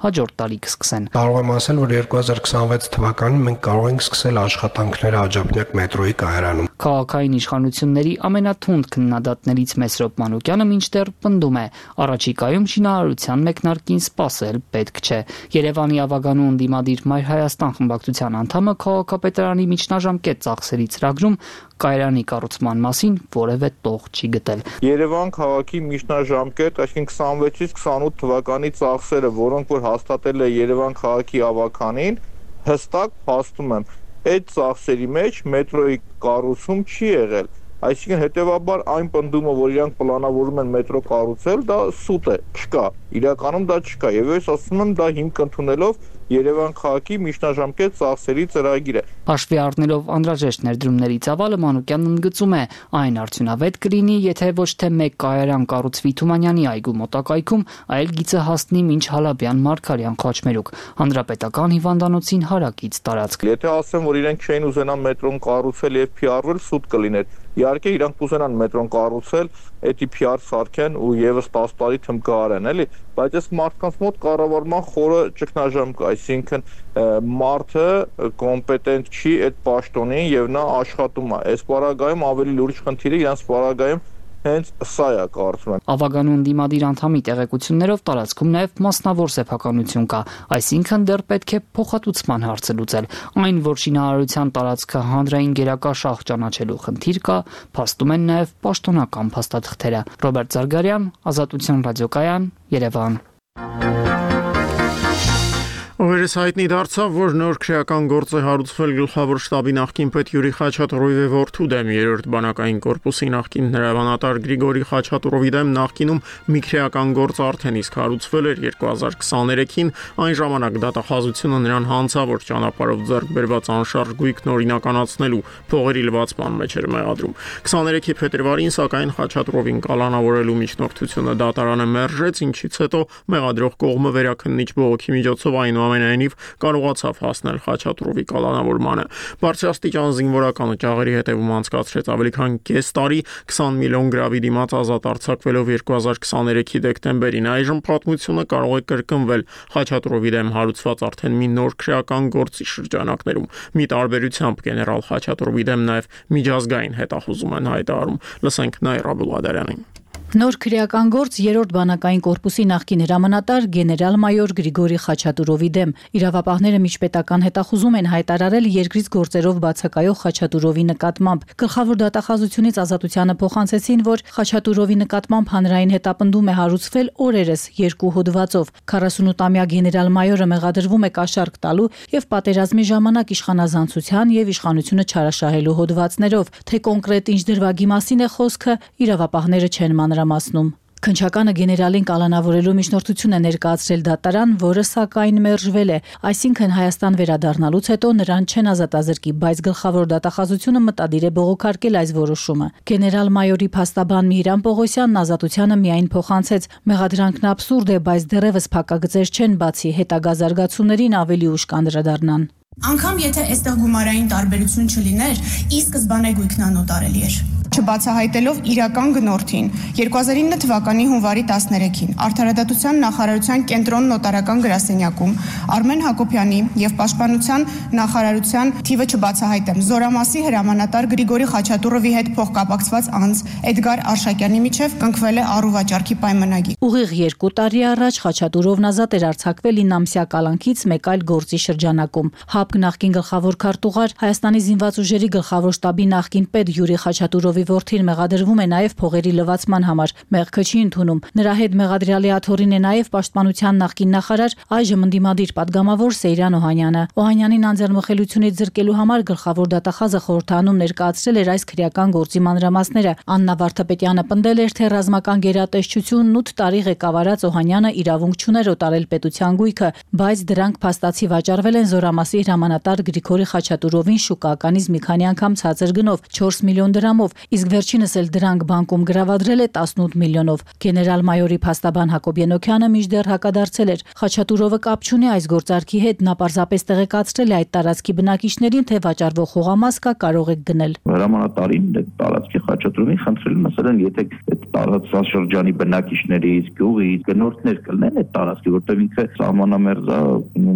Հաջորդ տարի կսկսեն։ Կարող եմ ասել, որ 2026 թվականին մենք կարող ենք սկսել աշխատանքները Աջափնյակ մետրոյի կայարանում։ Քաղաքային իշխանությունների ամենաթունդ քննադատներից Մեսրոպ Մանուկյանը մինչդեռ պնդում է, առաջիկայում շինարարության մեկնարկին սպասել պետք չէ։ Երևանի Ավագանու ընդդիմադիր Մայր Հայաստան խմբակցության անդամը քաղաքապետարանի միջնաժամկետ ծախսերի ծրագրում կայարանի կառուցման մասին որևէ տող չի գտել։ Երևան քաղաքի միջնաժամկետ, այսինքն 26-ից 28 թվականի ծախսերը, որոնք որ հաստատել է Երևան քաղաքի ավականին, հստակ փաստում եմ, այդ ծախսերի մեջ մետրոյի կառուցում չի եղել։ Այսինքն հետևաբար այն պնդումը, որ իրանք պլանավորում են մետրո կառուցել, դա սուտ է, չկա։ Իրականում դա չկա, եւ ես ասում եմ, դա հիմք ընդունելով Երևան քաղաքի միջնաժամկետ ծախսերի ծրագիրը։ Հաշվի առնելով անհրաժեշտ ներդրումների ծավալը, Մանուկյանն ընդգծում է, այն արդյունավետ կլինի, եթե ոչ թե մեկ կայարան կառուցվի Թումանյանի այգու մոտակայքում, այլ գիծը հասնի մինչ Հալաբյան Մարգարյան խաչմերուկ, հանրապետական հիվանդանոցին հարակից տարածք։ Եթե ասեմ, որ իրենք չէին ուզենա մետրոն կառուցել եւ PR-վել, սուտ կլիներ։ Իհարկե իրանք կուզենան մետրոն կառուցել, էդի PR սարքեն ու եւս 10 տարի թմկարեն, էլի, բայց այս մարդկանց մոտ կառավարման խորը ճգնաժամ կա, այսինքն մարդը կոմպետենտ չի այդ պաշտոնին եւ նա աշխատում է։ Այս պարագայում ավելի լուրջ խնդիրը իրանց պարագայում հենց սա է կարծում եմ։ Ավագանու ընդդիմադիր անդամի տեղեկություններով տարածքում նաև մասնավոր սեփականություն կա, այսինքն դեռ պետք է փոխհատուցման հարցը լուծել։ Այն, որ շինարարության տարածքը հանրային գերակա շահ ճանաչելու խնդիր կա, փաստում են նաև պաշտոնական փաստաթղթերը։ Ռոբերտ Զարգարյան, Ազատություն ռադիոկայան, Երևան։ Օրերս հայտնի դարձավ, որ նոր քրեական գործ է հարուցվել գլխավոր շտաբի նախկին պետ Յուրի Խաչատուրովի որդու դեմ երրորդ բանակային կորպուսի նախկին հրամանատար Գրիգորի Խաչատուրովի դեմ նախկինում մի քրեական գործ արդեն իսկ հարուցվել էր 2023-ին, այն ժամանակ դատախազությունը նրան հանցավոր ճանապարհով ձեռք բերված անշարժ գույքն օրինականացնելու փողերի լվացման մեջ էր մեղադրում։ 23-ի փետրվարին սակայն Խաչատուրովին կալանավորելու միջնորդությունը դատարանը մերժեց, ինչից հետո մեղադրող կողմը վերաքննիչ բողոքի միջոցով այնուամենայնիվ կարողացավ հասնել Խաչատուրովի կալանավորմանը։ Բարձրաստիճան զինվորական ճաղերի հետևում անցկացրեց ավելի քան կես տարի, 20 միլիոն գրավի դիմաց ազատ արձակվելով 2023-ի դեկտեմբերին։ Այժմ պատմությունը կարող է կրկնվել Խաչատուրովի դեմ հարուցված արդեն մի նոր քրեական գործի շրջանակներում։ Մի տարբերությամբ գեներալ Խաչատուրովի դեմ նաև միջազգային հետախուզում են հայտարարում։ Լսենք Նայրա Բուլադարյանին։ Նոր քրեական գործ երրորդ բանակային կորպուսի նախկին հրամանատար գեներալ-մայոր Գրիգորի Խաչատուրովի դեմ։ Իրավապահները միջպետական հետախուզում են հայտարարել երկրից գործերով բացակայող Խաչատուրովի նկատմամբ։ Գլխավոր դատախազությունից ազատությանը փոխանցեցին, որ Խաչատուրովի նկատմամբ հանրային հետապնդում է հարուցվել օրերս 2 հոդվածով։ 48-ամյա գեներալ-մայորը մեղադրվում է կաշառք տալու եւ պատերազմի ժամանակ իշխանազանցության եւ իշխանությունը չարաշահելու հոդվածներով։ Թե կոնկրետ ինչ դրվագի մասին է խոսքը, իրավապահները չեն մանրամասնում։ Քննչականը գեներալին կալանավորելու միջնորդություն է ներկայացրել դատարան, որը սակայն մերժվել է, այսինքն Հայաստան վերադառնալուց հետո նրան չեն ազատազրկի, բայց գլխավոր դատախազությունը մտադիր է բողոքարկել այս որոշումը։ Գեներալ-մայորի փաստաբան Միհրան Պողոսյանն ազատությանը միայն փոխանցեց. մեղադրանքն աբսուրդ է, բայց դեռևս փակագծեր չեն բացի, հետագա զարգացումներին ավելի ուշ կանդրադառնան։ Անկամ եթե այստեղ գումարային տարբերություն չլիներ, ի սկզբանե գույքն անօտարելի էր։ Չբացահայտելով իրական գնորդին 2009 թվականի հունվարի 13-ին Արդարադատության նախարարության կենտրոն նոտարական գրասենյակում Արմեն Հակոբյանի եւ Պաշտպանության նախարարության թիվը չբացահայտեմ Զորամասի հրամանատար Գրիգորի Խաչատուրովի հետ փոխկապակցված անձ Էդգար Արշակյանի միջև կնքվել է առուվաճառքի պայմանագիր։ Ուղիղ 2 տարի առաջ Խաչատուրովն ազատ էր արձակվել 9-ամսյա կալանքից մեկ այլ գործի շրջանակում։ ՀԱՊԿ նախկին գլխավոր քարտուղար Հայաստանի զինված ուժերի գլխավոր շտաբի նախկին պետ Յուրի Խաչատուրովի որդին մեղադրվում է նաև փողերի լվացման համար։ Մեղքը չի ընդունում։ Նրա հետ մեղադրյալի աթոռին է նաև պաշտպանության նախկին նախարար, այժմ ընդդիմադիր պատգամավոր Սեյրան Օհանյանը։ Օհանյանին անձեռնմխելիությունից զրկելու համար գլխավոր դատախազը խորհրդանում ներկայացրել էր այս քրեական գործի մանրամասները։ Աննա Վարդապետյանը պնդել էր, թե ռազմական գերատեսչությունն 8 տարի ղեկավարած Օհանյանը իրավունք չուներ օտարել պետության գույքը, բայց դրանք փաստացի վաճառվել են Զորամասի հրամանատար Գրիգորի Խաչատուրովին շուկայականից մի քանի անգամ ցածր գնով 4 միլիոն դրամով։ իսկ վերջինս էլ դրանք բանկում գրավադրել է 18 միլիոնով։ Գեներալ-մայորի փաստաբան Հակոբ Ենոքյանը մինչդեռ հակադարձել էր. Խաչատուրովը կապ չունի այս գործարքի հետ, նա պարզապես տեղեկացրել է այդ տարածքի բնակիչներին, թե վաճառվող խոհամաս կա, կարող եք գնել։ Հրամանատարին տարածքի խաչատուրովին խնդրել եմ, ասել են, եթե այդ տարածաշրջանի բնակիչներից, գյուղից գնորդներ կլինեն այդ տարածքի, որտեղ ինքը սահմանամերձ է,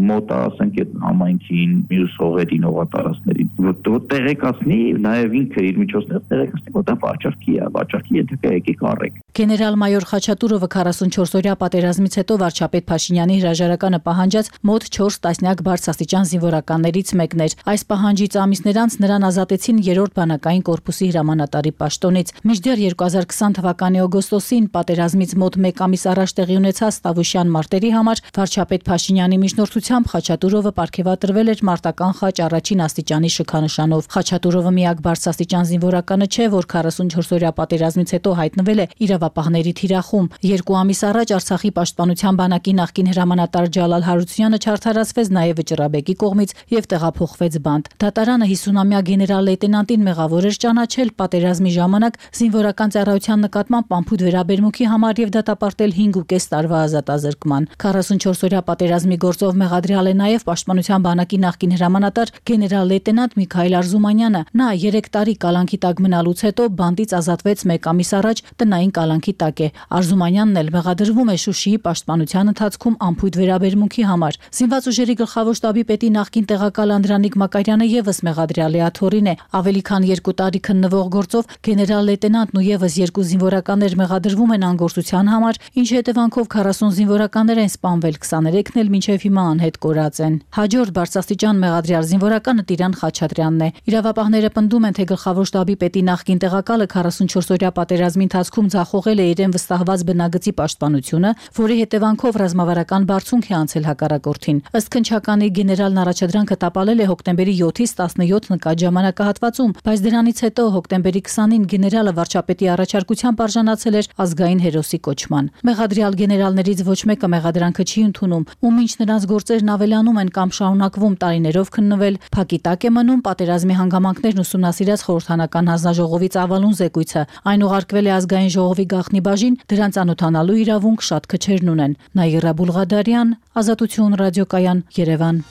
մոտ է, ասենք այդ համայնքին, մյուս հողերին, հողատարածքներին, որ տեղեկացնի, նաև ինքը իր միջոցներով տեղեկացնի, որտեղ վաճառքի ենթակա եկեք առեք։ Գեներալ-մայոր Խաչատուրովը 44-օրյա պատերազմից հետո վարչապետ Փաշինյանի հրաժարականը պահանջած մոտ 4 տասնյակ բարձրաստիճան զինվորականներից մեկն էր։ Այս պահանջից ամիսներ անց նրան ազատեցին 3-րդ բանակային կորպուսի հրամանատարի պաշտոնից։ Մինչդեռ 2020 թվականի օգոստոսին պատերազմից մոտ 1 ամիս առաջ տեղի ունեցած Տավուշյան մարտերի համար վարչապետ Փաշինյանի միջնորդությամբ Խաչատուրովը պարգևատրվել էր մարտական խաչ առաջին աստիճանի շքանշանով։ Խաչատուրովը միակ բարձրաստիճան զինվորականը չէ, որ 44-օրյա պատերազմից հետո հայտնվել է իրավապահների թիրախում։ 2 ամիս առաջ Արցախի պաշտպանության բանակի նախկին հրամանատար Ջալալ Հարությունյանը չարդարացվեց նաև Վճռաբեկի կողմից եւ տեղափոխվեց բանտ։ Դատարանը 50-ամյա գեներալ-լեյտենանտին մեղավոր էր ճանաչել պատերազմի ժամանակ զինվորական ծառայության նկատմամբ անփույթ վերաբերմունքի համար եւ դատապարտել 5.5 տարվա ազատազրկման։ 44-օրյա պատերազմի գործով մեղադրյալ է նաև պաշտպանության բանակի նախկին հրամանատար գեներալ-լեյտենանտ Միքայել Արզումանյանը։ Նա 3 տարի կալանքի տակ մնալուց հետո բանտից ազատվեց 1 ամիս առաջ, տնային կալանքի տակ է։ Արզումանյանն էլ մեղադրվում է Շուշիի պաշտպանության ընթացքում անփույթ վերաբերմունքի համար։ Զինված ուժերի գլխավոր շտաբի պետի նախկին տեղակալ Անդրանիկ Մակարյանը եւս մեղադրյալի աթոռին է։ Ավելի քան 2 տարի քննվող գործով գեներալ-լեյտենանտն ու եւս 2 զինվորականներ մեղադրվում են անգործության համար, ինչի հետևանքով 40 զինվորականներ են սպանվել, 23-ն էլ մինչև հիմա անհետ կորած են։ Հաջորդ բարձրաստիճան մեղադրյալ զինվորականը Տիրան Խաչատրյանն է։ Իրավապահները պնդում են, թե գլխավոր շտաբի պետի նախկին տեղակալը 44-օրյա պատերազմի ընթացքում ձախողել է իրեն վստահված բնագծի պաշտպանությունը, որի հետևանքով ռազմավարական բարձունք է անցել հակառակորդին։ Ըստ քննչականի գեներալն առաջադրանքը տապալել է հոկտեմբերի 7-ից 17 նկատ ժամանակահատվածում, բայց դրանից հետո հոկտեմբերի 20-ին գեներալը վարչապետի առաջարկությամբ արժանացել էր ազգային հերոսի կոչման։ Մեղադրյալ գեներալներից ոչ մեկը մեղադրանքը չի ընդունում, ու մինչ նրանց գործերն ավելանում են կամ շարունակվում տարիներով քննվել, փակի տակ է մնում պատերազմի հանգամանքներն ուսումնասիրած խորհրդանական հանձնաժողովի ծավալուն զեկույցը։ Այն ուղարկվել է ազգային ժողովի գաղտնի բաժին, դրան ծանոթանալու իրավունք շատ քչերն ունեն։ Նաիրա Բուլղադարյան, Ազատություն ռադիոկայան, Երևան։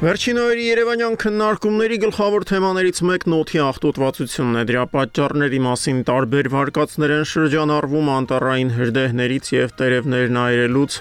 Վերջին օրերի Երևանյան քննարկումների գլխավոր թեմաներից մեկն օդի աղտոտվածությունն է։ Դրա պատճառների մասին տարբեր վարկածներ են շրջանառվում անտառային հրդեհներից եւ տերևներն այրելուց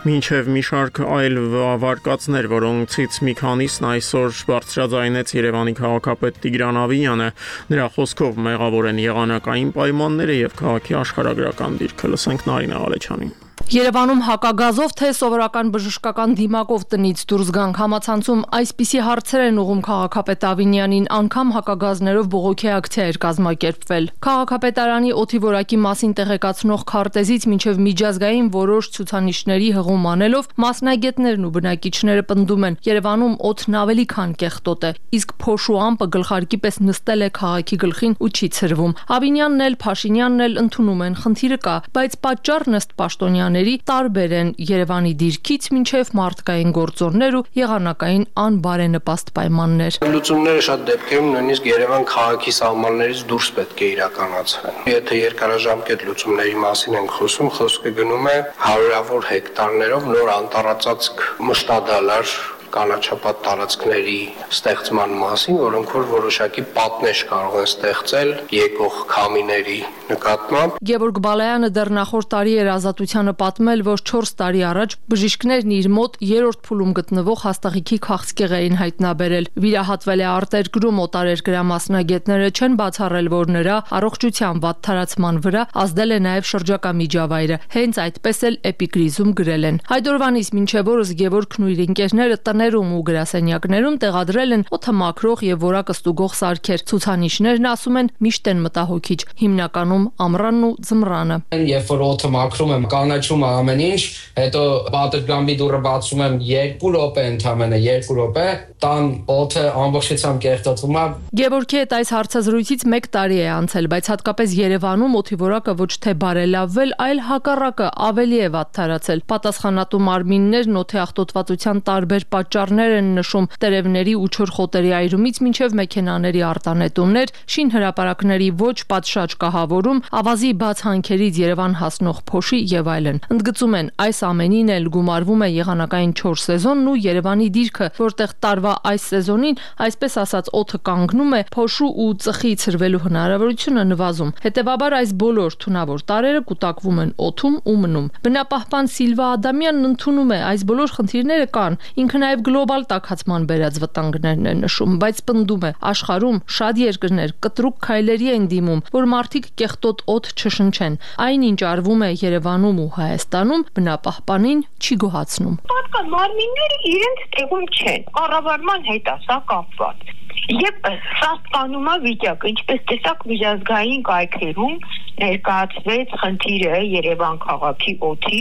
մինչեւ մի շարք այլ վարկածներ, որոնցից մի քանիսն այսօր բարձրաձայնեց Երևանի քաղաքապետ Տիգրան Ավիյանը։ Նրա խոսքով մեղավոր են եղանակային պայմանները եւ քաղաքի աշխարհագրական դիրքը։ Լսենք Նարինե Ղալեչյանին։ Երևանում հակագազով թե սովորական բժշկական դիմակով տնից դուրս գանք համացանցում այսպիսի հարցեր են ուղում քաղաքապետ Ավինյանին, անգամ հակագազներով բողոքի ակցիա էր կազմակերպվել։ Քաղաքապետարանի օդի որակի մասին տեղեկացնող քարտեզից մինչև միջազգային որոշ ցուցանիշների հղում անելով մասնագետներն ու բնակիչները պնդում են, Երևանում օդն ավելի քան կեղտոտ է, իսկ փոշու ամպը գլխարկի պես նստել է քաղաքի գլխին ու չի ցրվում։ Ավինյանն էլ Փաշինյանն էլ ընդունում են, խնդիրը կա, բայց պատճառն ըստ պաշտոնյաների տարբեր են Երևանի դիրքից մինչև մարդկային գործոններ ու եղանակային անբարենպաստ պայմաններ։ Լուծումները շատ դեպքերում նույնիսկ Երևան քաղաքի սահմաններից դուրս պետք է իրականացվեն։ Եթե երկարաժամկետ լուծումների մասին ենք խոսում, խոսքը գնում է հարյուրավոր հեկտարներով նոր անտառածածկ մշտադալար կանաչապատ տարածքների ստեղծման մասին, որոնք որ որոշակի պատնեշ կարող են ստեղծել եկող քամիների նկատմամբ։ Գևորգ Բալայանը դեռ նախորդ տարի էր Ազատությանը պատմել, որ 4 տարի առաջ բժիշկներն իր մոտ 3-րդ փուլում գտնվող հաստաղիքի քաղցկեղ էին հայտնաբերել։ Վիրահատվել է արտերկրում, օտարերկրամասնագետները չեն բացառել, որ նրա առողջության վատ թարացման վրա ազդել է նաև շրջակա միջավայրը։ Հենց այդպես էլ էպիկրիզում գրել են։ Հայդորվանից մինչև օրս Գևորգն ու իր ընկերները տներում ու գրասենյակներում տեղադրել են օդը մաքրող եւ որակը ստուգող սարքեր։ Ցուցանիշներն ասում են միշտ են մտահոգիչ, հիմնականում ամռանն ու ձմռանը։ Երբ որ օդը մաքրում եմ, կանաչում ամեն ինչ, հետո պատերգամբի դուռը բացում եմ 2 րոպե ընդամենը 2 րոպե, տան օդը ամբողջությամբ կեղտոտվում է։ Գևորգի հետ այս հարցազրույցից 1 տարի է անցել, բայց հատկապես Երևանում օդի որակը ոչ թե բարելավվել, այլ հակառակը ավելի է վատ թարացել։ Պատասխանատու մարմիններն օդի աղտոտվածության տարբեր պատճառներ են նշում տերևների ու չորխոտերի այրումից մինչև մեքենաների արտանետումներ, շինհրապարակների ոչ պատշաճ կահավորում, ավազի բաց հանքերից Երևան հասնող փոշի եւ այլն։ Ընդգծում են, այս ամենին էլ գումարվում է եղանակային 4 սեզոնն ու Երևանի դիրքը, որտեղ տարվա այս սեզոնին, այսպես ասած, օդը կանգնում է, փոշու ու ծխի ցրվելու հնարավորությունը նվազում։ Հետևաբար այս բոլոր թունավոր տարրերը կուտակվում են օդում ու մնում։ Բնապահպան Սիլվա Ադամյանն ընդունում է, այս բոլոր խնդիրները կան։ Ինքը նաև գլոբալ տաքացման բերած վտանգներն է նշում, բայց պնդում է, աշխարհում շատ երկրներ կտրուկ քայլերի են դիմում, որ մարդիկ կեղտոտ օդ չշնչեն։ Այնինչ արվում է Երևանում ու Հայաստանում, բնապահպանին չի գոհացնում։ Պատկան մարմինները իրենց տեղում չեն, կառավարման հետ է սա կապված։ Եվ սա ստանումա վիճակը, ինչպես տեսակ միջազգային կայքերում ներկայացվեց խնդիրը Երևան քաղաքի օդի,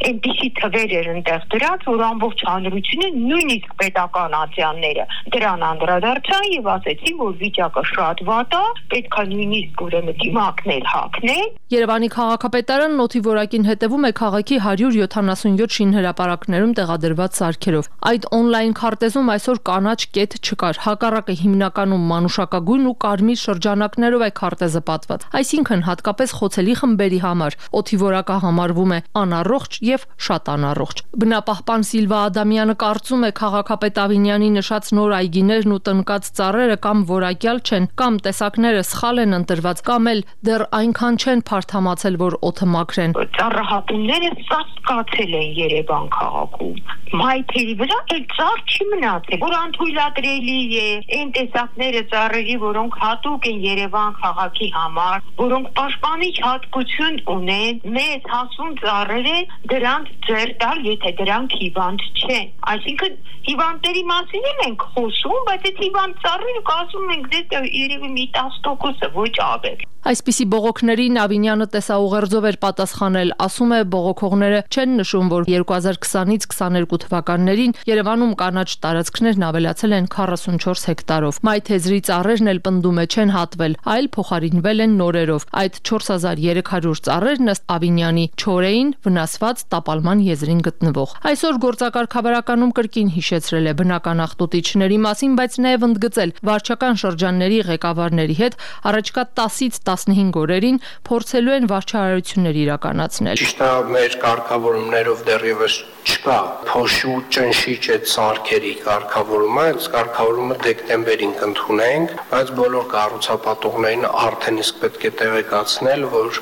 այնպիսի թվեր էր ընդեղ դրած, որ ամբողջ հանրությունը, նույնիսկ պետական ատյանները դրան անդրադարձան եւ ասեցին, որ վիճակը շատ վատ է, պետք է նույնիսկ ուրեմն դիմակներ հագնել։ Երևանի քաղաքապետարանն օդի որակին հետևում է քաղաքի 177 շինհրապարակներում տեղադրված սարքերով։ Այդ on-line քարտեզում այսօր կանաչ կետ չկար, հակառակը հիմնականում մանուշակագույն ու կարմիր շրջանակներով է քարտեզը պատված։ Այսինքն հատկապես խոցելի խմբերի համար օդի որակը համարվում է անառողջ եւ շատ անառողջ։ Բնապահպան Սիլվա Ադամյանը կարծում է, քաղաքապետ Ավինյանի նշած նոր այգիներն ու տնկած ծառերը կամ որակյալ չեն, կամ տեսակները սխալ են ընտրված, կամ էլ դեռ այնքան չեն փարթամացել, որ օդը մաքրեն։ Ծառահատումները սաստկացել են Երևան քաղաքում։ Մայթերի վրա էլ ծառ չի մնացել, որ անթույլատրելի է։ Այն տեսակները ծառերի, որոնք հատուկ են Երևան քաղաքի համար, որոնք պաշտպանիչ հատկություն ունեն, մեծ հասուն ծառերը դրանց ձեռ տալ, եթե դրանք հիվանդ չեն։ Այսինքն հիվանդների մասին ենք խոսում, բայց այդ հիվանդ ծառերը կասում ենք դե երևի մի 10%-ը ոչ ավել։ Այսպիսի բողոքներին Ավինյանը տեսաուղերձով էր պատասխանել, ասում է, բողոքողները չեն նշում, որ 2020-ից 22 թվականներին Երևանում կանաչ տարածքներն ավելացել են 44 հեկտարով։ Մայթեզրի ծառերն էլ պնդում է չեն հատվել, այլ փոխարինվել են նորերով։ Այդ 4300 ծառերն ըստ Ավինյանի չոր էին, վնասված տապալման եզրին գտնվող։ Այսօր գործակարգավարականում կրկին հիշեցրել է բնական աղտոտիչների մասին, բայց նաև ընդգծել վարչական շրջանների ղեկավարների հետ առաջկա 10-ից 15 օրերին փորձելու են վարչահարություններ իրականացնել։ Ճիշտ է, մեր կարգավորումներով դեռևս չկա փոշու ճնշիչ այդ սարքերի կարգավորումը, այդ կարգավորումը դեկտեմբերին կընդունենք, բայց բոլոր կառուցապատողներին արդեն իսկ պետք է տեղեկացնել, որ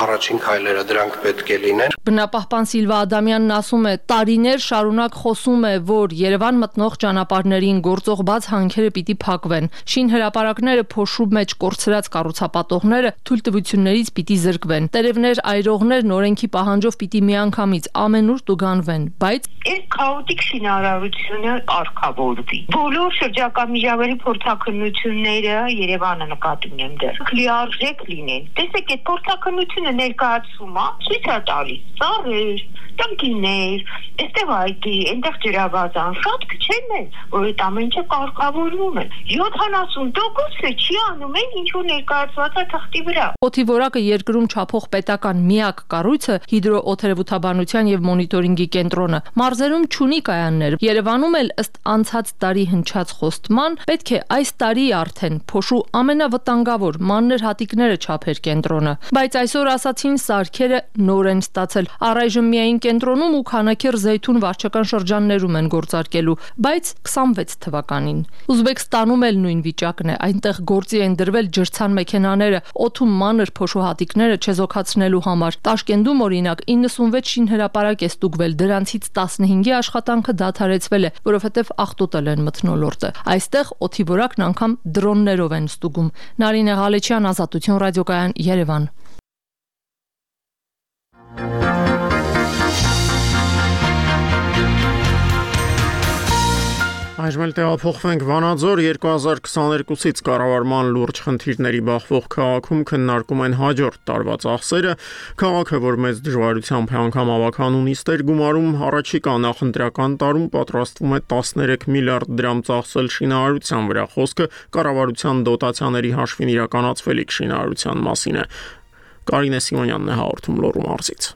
առաջին քայլերը դրանք պետք է լինեն։ Բնապահպան Սիլվա Ադամյանն ասում է, տարիներ շարունակ խոսում է, որ Երևան մտնող ճանապարհներին գործող բաց հանքերը պիտի փակվեն։ Շինհրապարակները փոշու մեջ կորցրած կառուցապատողները թույլտվություններից պիտի զրկվեն։ Տերևներ այրողներն օրենքի պահանջով պիտի միանգամից ամենուր տուգանվեն, բայց այս քաոտիկ շինարարությունը արկավորվի։ Բոլոր շրջակա միջավայրի փորձաքննությունները Երևանը նկատի ունեմ դեռ լիարժեք լինեն։ Տեսեք, այդ փորձաքննությունը ներկայացում է, ցույց է տալիս ծառեր, տնկիներ, այստեղ այգի, այնտեղ ջրավազան, շատ քչերն են, որ այդ ամենը կարգավորվում է։ 70%-ը չի անում են, ինչ որ ներկայացված է թղթի վրա։ Օդի որակը երկրում չափող պետական միակ կառույցը հիդրոօթերևութաբանության եւ մոնիտորինգի կենտրոնը մարզերում չունի կայաններ։ Երևանում էլ ըստ անցած տարի հնչած խոստման պետք է այս տարի արդեն փոշու ամենավտանգավոր մաններ հատիկները չափեր կենտրոնը, բայց այսօր ասացին սարքերը նոր են ստացել։ Առայժմ միայն կենտրոնում ու Քանաքեռ Զեյթուն վարչական շրջաններում են գործարկելու, բայց 26 թվականին։ Ուզբեկստանում էլ նույն վիճակն է, այնտեղ գործի են դրվել ջրցան մեքենաները, օդում մանր փոշու հատիկները չեզոքացնելու համար։ Տաշկենտում օրինակ 96 շինհրապարակ է ստուգվել, դրանցից 15-ի աշխատանքը դադարեցվել է, որովհետև աղտոտել են մթնոլորտը։ Այստեղ օդի որակն անգամ դրոններով են ստուգում։ Նարինե Ղալեչյան, Ազատություն ռադիոկայան, Երևան։ Այժմ էլ տեղափոխվենք Վանաձոր 2022-ից կառավարման լուրջ խնդիրների բախվող քաղաքում քննարկում են հաջորդ տարվա ծախսերը, քաղաքը, որ մեծ դժվարությամբ է անգամ ավականուն նիստեր գումարում, առաջիկա նախընտրական տարում պատրաստվում է 13 միլիարդ դրամ ծախսել շինարարության վրա, խոսքը կառավարության դոտացիաների հաշվին իրականացվելիք շինարարության մասին է։ Կարինե Սիմոնյանն է հաղորդում Լոռու մարզից։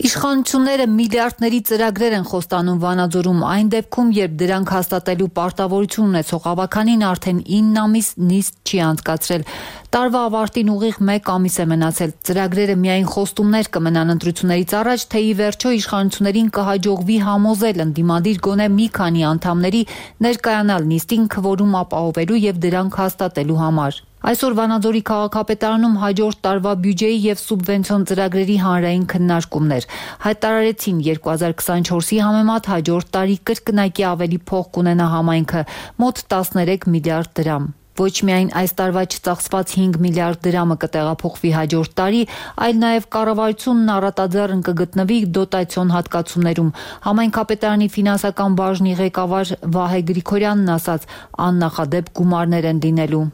Իշխանությունները միլիարդների ծրագրեր են խոստանում Վանաձորում այն դեպքում, երբ դրանք հաստատելու պարտավորություն ունեցող ավականին արդեն 9 ամիս նիստ չի անցկացրել։ Տարվա ավարտին ուղիղ 1 ամիս է մնացել։ Ծրագրերը միայն խոստումներ կմնան ընտրություններից առաջ, թե ի վերջո իշխանություններին կհաջողվի համոզել ընդդիմադիր գոնե մի քանի անդամների ներկայանալ նիստին քվորում ապահովելու եւ դրանք հաստատելու համար։ Այսօր Վանաձորի քաղաքապետարանում հաջորդ տարվա բյուջեի եւ սուբվենցիոն ծրագրերի հանրային քննարկումներ հայտարարեցին 2024-ի համեմատ հաջորդ տարի կրկնակի ավելի փող կունենա համայնքը՝ մոտ 13 միլիարդ դրամ։ Ոչ միայն այս տարվա չծախսված 5 միլիարդ դրամը կտեղափոխվի հաջորդ տարի, այլ նաև կառավարությունն առատաձեռն կգտնվի դոտացիոն հատկացումներում։ Համայնքապետարանի ֆինանսական բաժնի ղեկավար Վահե Գրիգորյանն ասաց, աննախադեպ գումարներ են լինելու։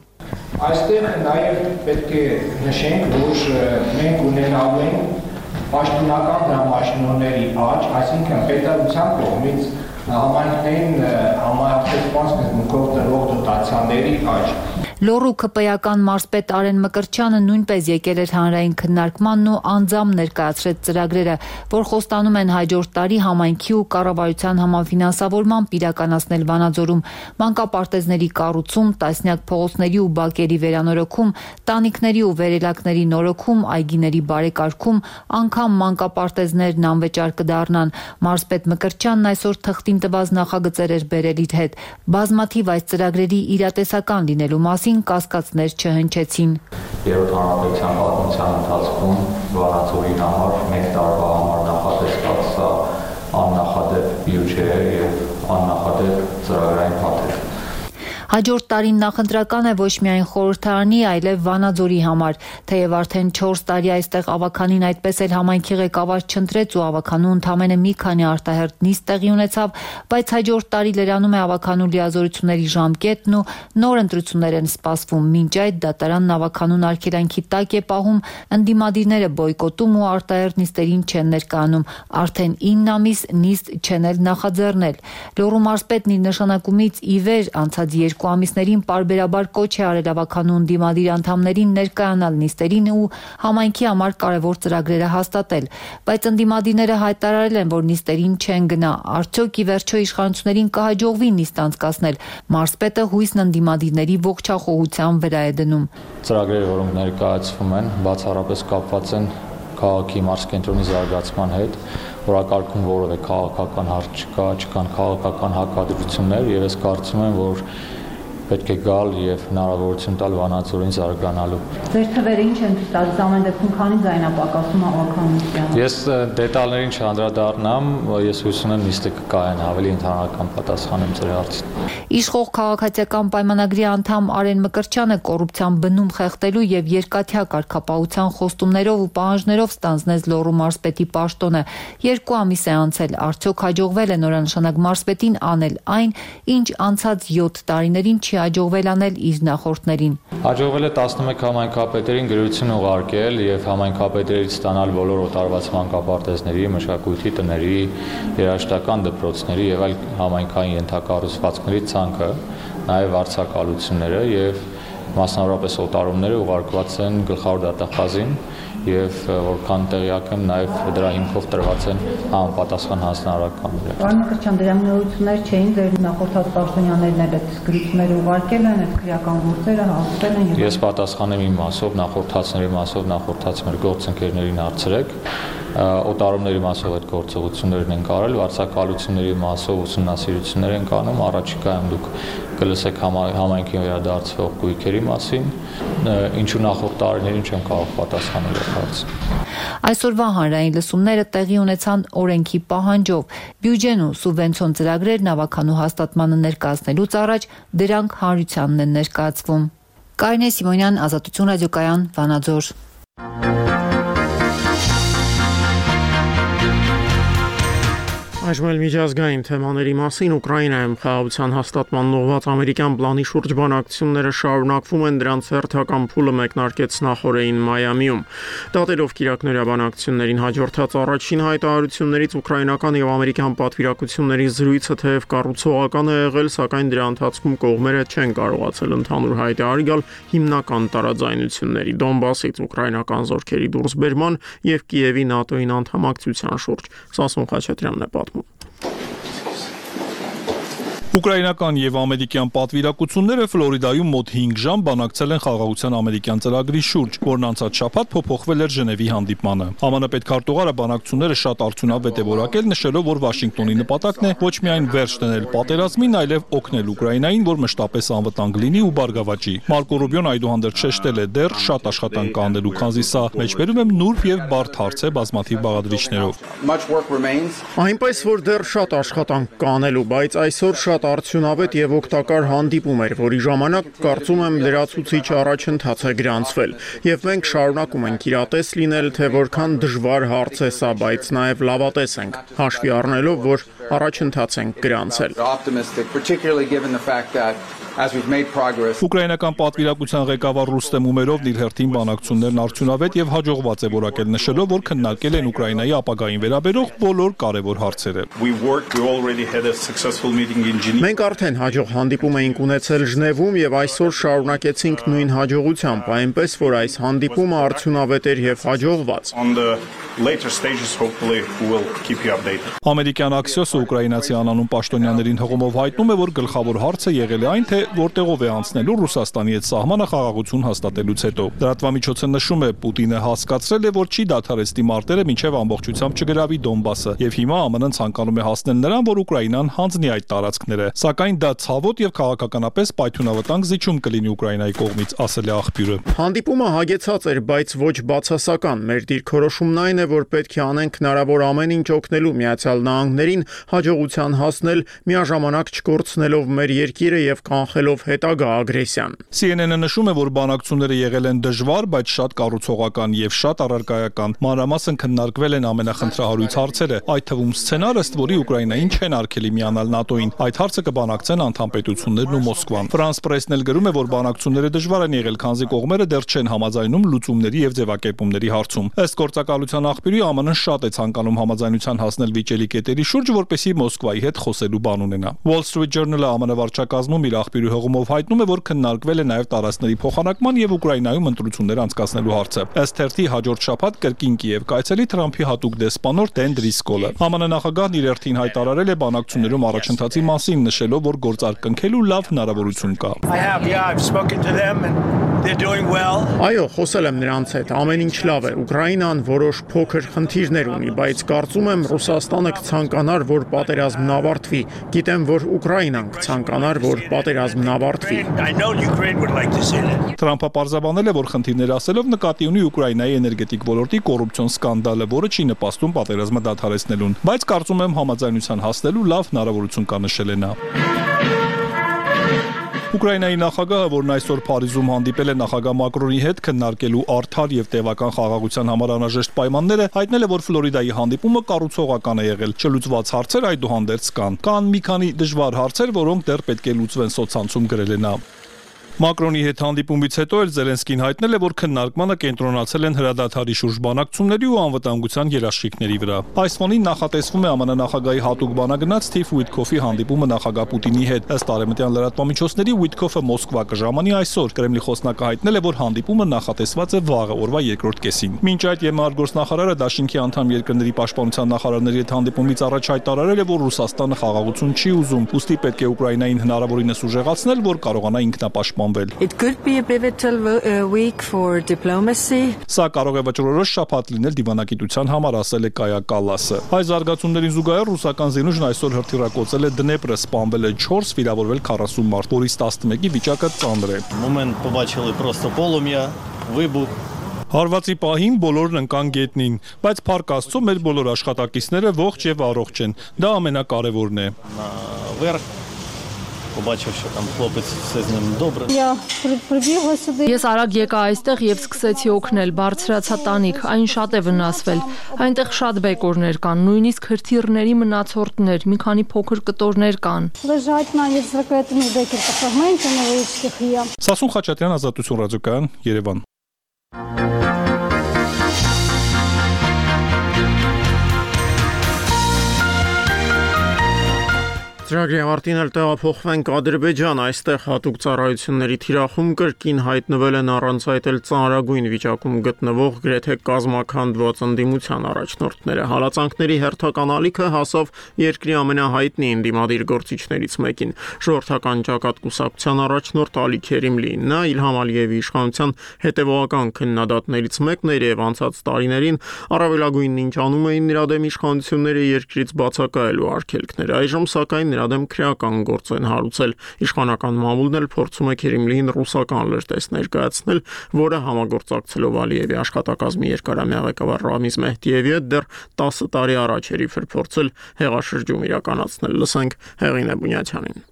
Այստեղ նաև պետք է նշենք, որ մենք ունենալու ենք պաշտոնական դրամաշնորհների աճ, այսինքն պետության կողմից համայնքներին համապատասխան սկզբունքով տրվող դոտացիաների աճ։ Լոռու ԿՊ-ական մարզպետ Արեն Մկրտչյանը նույնպես եկել էր հանրային քննարկմանն ու անձամբ ներկայացրեց ծրագրերը, որ խոստանում են հաջորդ տարի համայնքի ու կառավարության համաֆինանսավորմամբ իրականացնել Վանաձորում մանկապարտեզների կառուցում, տասնյակ փողոցների ու բակերի վերանորոգում, տանիքների ու վերելակների նորոգում, այգիների բարեկարգում, անգամ մանկապարտեզներն անվճար կդառնան։ Մարզպետ Մկրտչյանն այսօր թղթին տված նախագծեր էր բերել իր հետ։ Բազմաթիվ այս ծրագրերի իրատեսական լինելու մասին կասկածներ չհնչեցին։ Երրորդ հանրապետության պատմության ընթացքում Վանաձորի համար մեկ տարվա համար նախատեսված սա աննախադեպ բյուջե է եւ աննախադեպ ծրագրային փաթեթ։ Հաջորդ տարին նախընտրական է ոչ միայն խորհրդարանի, այլև Վանաձորի համար, թեև արդեն 4 տարի այստեղ ավականին այդպես էլ համայնքի ղեկավար չընտրեց ու ավականու ընդամենը մի քանի արտահերթ նիստ տեղի ունեցավ, բայց հաջորդ տարի լրանում է ավականու լիազորությունների ժամկետն ու նոր ընտրություններ են սպասվում, մինչ այդ դատարանն ավականուն արգելանքի տակ է պահում, ընդդիմադիրները բոյկոտում ու արտահերթ նիստերին չեն ներկայանում, արդեն 9 ամիս նիստ չեն էլ նախաձեռնել։ Լոռու մարզպետն իր նշանակումից ի վեր անցած 2 ամիսներին պարբերաբար կոչ է արել ավականու ընդդիմադիր անդամներին ներկայանալ նիստերին ու համայնքի համար կարևոր ծրագրերը հաստատել, բայց ընդդիմադիրները հայտարարել են, որ նիստերին չեն գնա, արդյոք ի վերջո իշխանություններին կհաջողվի նիստ անցկացնել։ Մարզպետը հույսն ընդդիմադիրների ողջախոհության վրա է դնում։ Ծրագրերը, որոնք ներկայացվում են, բացառապես կապված են քաղաքի մարզկենտրոնի զարգացման հետ, որակարգում որևէ քաղաքական հարց չկան քաղաքական հակադրություններ եւ ես կարծում եմ, որ պետք է գալ եւ հնարավորություն տալ Վանաձորին զարգանալու։ Ձեր թվերը ինչ են տալիս ամեն դեպքում քանի ձայնապակասում ավականության։ Ես դետալներին չանդրադառնամ, ես հույս ունեմ նիստը կկայան ավելի ընդհանրական պատասխան եմ ձեր հարցին։ Իշխող քաղաքացիական պայմանագրի անդամ Արեն Մկրտչյանը կոռուպցիան բնում խեղդելու եւ երկաթյա կարգապահության խոստումներով ու պահանջներով ստանձնեց Լոռու մարզպետի պաշտոնը։ 2 ամիս է անցել, արդյոք հաջողվել է նորանշանակ մարզպետին անել այն, ինչ անցած 7 տարիներին չի հաջողվել անել իր նախորդներին։ Հաջողվել է 11 համայնքապետերին գրություն ուղարկել եւ համայնքապետերից ստանալ բոլոր օտարված մանկապարտեզների, մշակույթի տների, երաժշտական դպրոցների եւ այլ համայնքային ենթակառուցվածքների ցանկը, նաեւ վարձակալությունները եւ մասնավորապես օտարումները ուղարկված են գլխավոր դատախազին եւ որքան տեղյակ եմ նաեւ դրա հիմքով տրված են համապատասխան հանձնարարականներ։ Պարոն Մկրտչյան, դրանք նորություններ չէին, ձեր նախորդած պաշտոնյաներն էլ այդ գրությունները ուղարկել են, այդ քրեական գործերը հասցրել են։ Ես պատասխանեմ իմ մասով, նախորդածների մասով, նախորդած մեր գործընկերներին հարցրեք։ Օտարումների մասով այդ գործողություններն են կարել, վարձակալությունների մասով ուսումնասիրություններ են կանում, առաջիկայում դուք կլսեք համայնքին վերադարձվող գույքերի մասին, ինչու նախորդ տարիներին չեմ կարող պատասխանել այդ հարցին։ Այսօրվա հանրային լսումները տեղի ունեցան օրենքի պահանջով։ Բյուջեն ու սուբվենցիոն ծրագրերն ավականու հաստատմանը ներկայացնելուց առաջ դրանք հանրությանն են ներկայացվում։ Կարինե Սիմոնյան, Ազատություն ռադիոկայան, Վանաձոր։ Այժմ էլ միջազգային թեմաների մասին Ուկրաինայում խաղաղության հաստատման ուղղված ամերիկյան պլանի շուրջ բանակցությունները շարունակվում են, դրանց հերթական փուլը մեկնարկեց նախօրեին Մայամիում։ Դատելով կիրակնորյա բանակցություններին հաջորդած առաջին հայտարարություններից ուկրաինական եւ ամերիկյան պատվիրակությունների զրույցը թեև կառուցողական է եղել, սակայն դրա ընթացքում կողմերը չեն կարողացել ընդհանուր հայտարար գալ հիմնական տարաձայնությունների՝ Դոնբասից ուկրաինական զորքերի դուրսբերման եւ Կիևի ՆԱՏՕ-ին անդամակցության շուրջ։ Սասուն Խաչատրյանն է պատմում։ Ուկրաինական եւ ամերիկյան պատվիրակությունները Ֆլորիդայում մոտ 5 ժամ բանակցել են խաղաղության ամերիկյան ծրագրի շուրջ, որն անցած շաբաթ փոփոխվել էր Ժնևի հանդիպմանը։ ԱՄՆ պետքարտուղարը բանակցությունները շատ արդյունավետ է որակել, նշելով, որ Վաշինգտոնի նպատակն է ոչ միայն վերջ դնել պատերազմին, այլև օգնել Ուկրաինային, որ մշտապես անվտանգ լինի ու բարգավաճի։ Մարկո Ռուբիոն այդուհանդերձ շեշտել է, դեռ շատ աշխատանք կա անելու, քանզի սա մեջբերում եմ նուրբ եւ բարդ հարց է բազմաթիվ բաղադրիչներով։ Այնպես որ դեռ շատ աշխատանք կա անելու, բայց այսօր շատ արդյունավետ եւ օգտակար հանդիպում էր, որի ժամանակ կարծում եմ լրացուցիչ առաջընթաց է գրանցվել եւ մենք շարունակում ենք իրատես լինել, թե որքան դժվար հարց է սա, բայց նաեւ լավատես ենք, հաշվի առնելով, որ առաջընթաց ենք գրանցել։ Ուկրաինական պատվիրակության ղեկավար Ռուստեմ Ումերովն իր հերթին բանակցություններն արդյունավետ եւ հաջողված է որակել, նշելով, որ քննարկել են Ուկրաինայի ապագային վերաբերող բոլոր կարևոր հարցերը։ Մենք արդեն հաջող հանդիպում էինք ունեցել Ժնևում եւ այսօր շարունակեցինք նույն հաջողությամբ, այնպես որ այս հանդիպումը արդյունավետ էր եւ հաջողված։ Ամերիկյան Axios-ը ուկրաինացի անանուն պաշտոնյաներին հղումով հայտնում է, որ գլխավոր հարցը եղել է այն, թե որտեղով է անցնելու Ռուսաստանի հետ սահմանը խաղաղություն հաստատելուց հետո։ Լրատվամիջոցը նշում է, Պուտինը հասկացրել է, որ չի դադարեցնի մարտերը մինչև ամբողջությամբ չգրավի Դոնբասը, եւ հիմա ԱՄՆ-ն ցանկանում է հասնել նրան, որ Ուկրաինան հանձնի այդ տարածքները։ Սակայն դա ցավոտ եւ քաղաքականապես պայթյունավտանգ զիջում կլինի Ուկրաինայի կողմից, ասել է աղբյուրը։ Հանդիպումը հագեցած էր, բայց ոչ բացասական։ Մեր դիրքորոշումն այն է, որ պետք է անենք հնարավոր ամեն ինչ օգնելու Միացյալ Նահանգներին հաջողության հասնել, միաժամանակ չկորցնելով մեր երկիրը եւ կանխելով հետագա ագրեսիան։ CNN-ը նշում է, որ բանակցությունները եղել են դժվար, բայց շատ կառուցողական եւ շատ առարկայական։ Մանրամասն քննարկվել են ամենախնդրահարույց հարցերը, այդ թվում սցենարը, ըստ որի Ուկրաինային չեն արգելի միանալ ՆԱՏՕ-ին։ Այդ հարցը կբանակցեն անդամպետություններն ու Մոսկվան։ Ֆրանս պրեսն էլ գրում է, որ բանակցությունները դժվար են եղել, քանզի կողմերը դեռ չեն համաձայնում լուծումների եւ ձևակերպումների հարցում։ Ըստ գործակալության աղբյուրի ԱՄՆ-ն շատ է ցանկանում համաձայնության հասնել վիճելի կետերի շուրջ, որպեսզի Մոսկվայի հետ խոսելու բան ունենա։ Wall Street Journal-ը ԱՄՆ վարչակազմում իր աղբյուրի հղումով հայտնում է, որ քննարկվել է նաև տարածքների փոխանակման եւ Ուկրաինայում ընտրություններ անցկացնելու հարցը։ Ըստ թերթի հաջորդ շաբաթ կրկին Կիև կայցելի Թրամփի հատուկ դեսպանոր Դեն Դրիսկոլը։ ԱՄՆ նախագահն իր հերթին հայտարարել է բանակցություններում առաջընթացի մասին, նշելով, որ գործարկնքելու լավ հնարավորություն կա։ Այո, խոսել եմ նրանց հետ, ամեն ինչ լավ է։ Ուկրաինան որոշ փոքր խնդիրներ ունի, բայց կարծում եմ Ռուսաստանը կցանկանար, որ պատերազմն ավարտվի։ Գիտեմ, որ Ուկրաինան կցանկանար, որ պատերազմն ավարտվի։ Թրամփը պարզաբանել է, որ խնդիրներ ասելով նկատի ունի Ուկրաինայի էներգետիկ ոլորտի կոռուպցիոն սկանդալը, որը չի նպաստում պատերազմը դադարեցնելուն, բայց կարծում եմ համաձայնության հասնելու լավ հնարավորություն կա, նշել է նա։ Ուկրաինայի նախագահը, որն այսօր Փարիզում հանդիպել է նախագահ Մակրոնի հետ քննարկելու արդար եւ տևական խաղաղության համար անհրաժեշտ պայմանները, հայտնել է, որ Ֆլորիդայի հանդիպումը կառուցողական է եղել։ Չլուծված հարցեր այդուհանդերձ կան։ Կան մի քանի դժվար հարցեր, որոնք դեռ պետք է լուծվեն, սոցցանցում գրել է նա։ Մակրոնի հետ հանդիպումից հետո էլ Զելենսկին հայտնել է, որ քննարկմանը կենտրոնացել են հրադադարի շուրջ բանակցությունների ու անվտանգության երաշխիքների վրա։ Այս ֆոնին նախատեսվում է ԱՄՆ նախագահի հատուկ բանագնաց Սթիվ Ուիտքոֆի հանդիպումը նախագահ Պուտինի հետ։ Ըստ արևմտյան լրատվամիջոցների Ուիտքոֆը Մոսկվա կժամանի այսօր։ Կրեմլի խոսնակը հայտնել է, որ հանդիպումը նախատեսված է վաղը օրվա երկրորդ կեսին։ Մինչ այդ ԵՄ գործնախարարը Դաշինքի անդամ երկրների պաշտպանության նախարարների հետ հանդիպումից առաջ հայտարարել է, որ Ռուսաստանը խաղաղություն չի ուզում, ուստի պետք է Ուկրաինային հնարավորինս ուժեղացնել, որ կարողանա ինքնապաշտպանվել։ It could be a pivotal week for diplomacy. Սա կարող է վճռորոշ շաբաթ լինել դիվանագիտության համար, ասել է Կայա Կալասը։ Այս զարգացումներին զուգահեռ ռուսական զինուժն այսօր հրթիռակոծել է Դնեպրը, սպանվել է 4, վիրավորվել 40 մարդ, որից 11-ի վիճակը ծանր է։ Moment побачили просто полум'я, вибух. Հարվածի պահին բոլորն ընկան գետնին, բայց փառք Աստծո մեր բոլոր աշխատակիցները ողջ եւ առողջ են։ Դա ամենակարևորն է։ побачив, що там хлопець все з ним добре. Ես արագ եկա այստեղ եւ սկսեցի օգնել, բարձրացա տանիք, այն շատ է վնասվել։ Այնտեղ շատ բեկորներ կան, նույնիսկ հրթիռների մնացորդներ, մի քանի փոքր կտորներ կան։ Սասուն Խաչատրյան, Ազատություն ռադիոկայան, Երևան։ Ծրագրի ավարտին էլ տեղափոխվենք Ադրբեջան, այստեղ հատուկ ծառայությունների թիրախում կրկին հայտնվել են առանց այդ էլ ծանրագույն վիճակում գտնվող գրեթե կազմաքանդված ընդդիմության առաջնորդները։ Հալածանքների հերթական ալիքը հասավ երկրի ամենահայտնի ընդդիմադիր գործիչներից մեկին, ժողովրդական ճակատ կուսակցության առաջնորդ Ալի Քերիմլին։ Նա Իլհամ Ալիևի իշխանության հետևողական քննադատներից մեկն էր եւ անցած տարիներին առավելագույնն ինչ անում էին նրա դեմ իշխանությունները երկրից բացակայելու արգելքներ։ Այժմ սակայն նրա դեմ քրեական գործ են հարուցել։ Իշխանական մամուլն էլ փորձում է Քերիմլիին ռուսական լրտես ներկայացնել, որը համագործակցելով Ալիևի աշխատակազմի երկարամյա ղեկավար Ռամիզ Մեհդիևի հետ դեռ 10 տարի առաջ էր փորձել հեղաշրջում իրականացնել։ Լսենք Հեղինե Բունյաթյանին։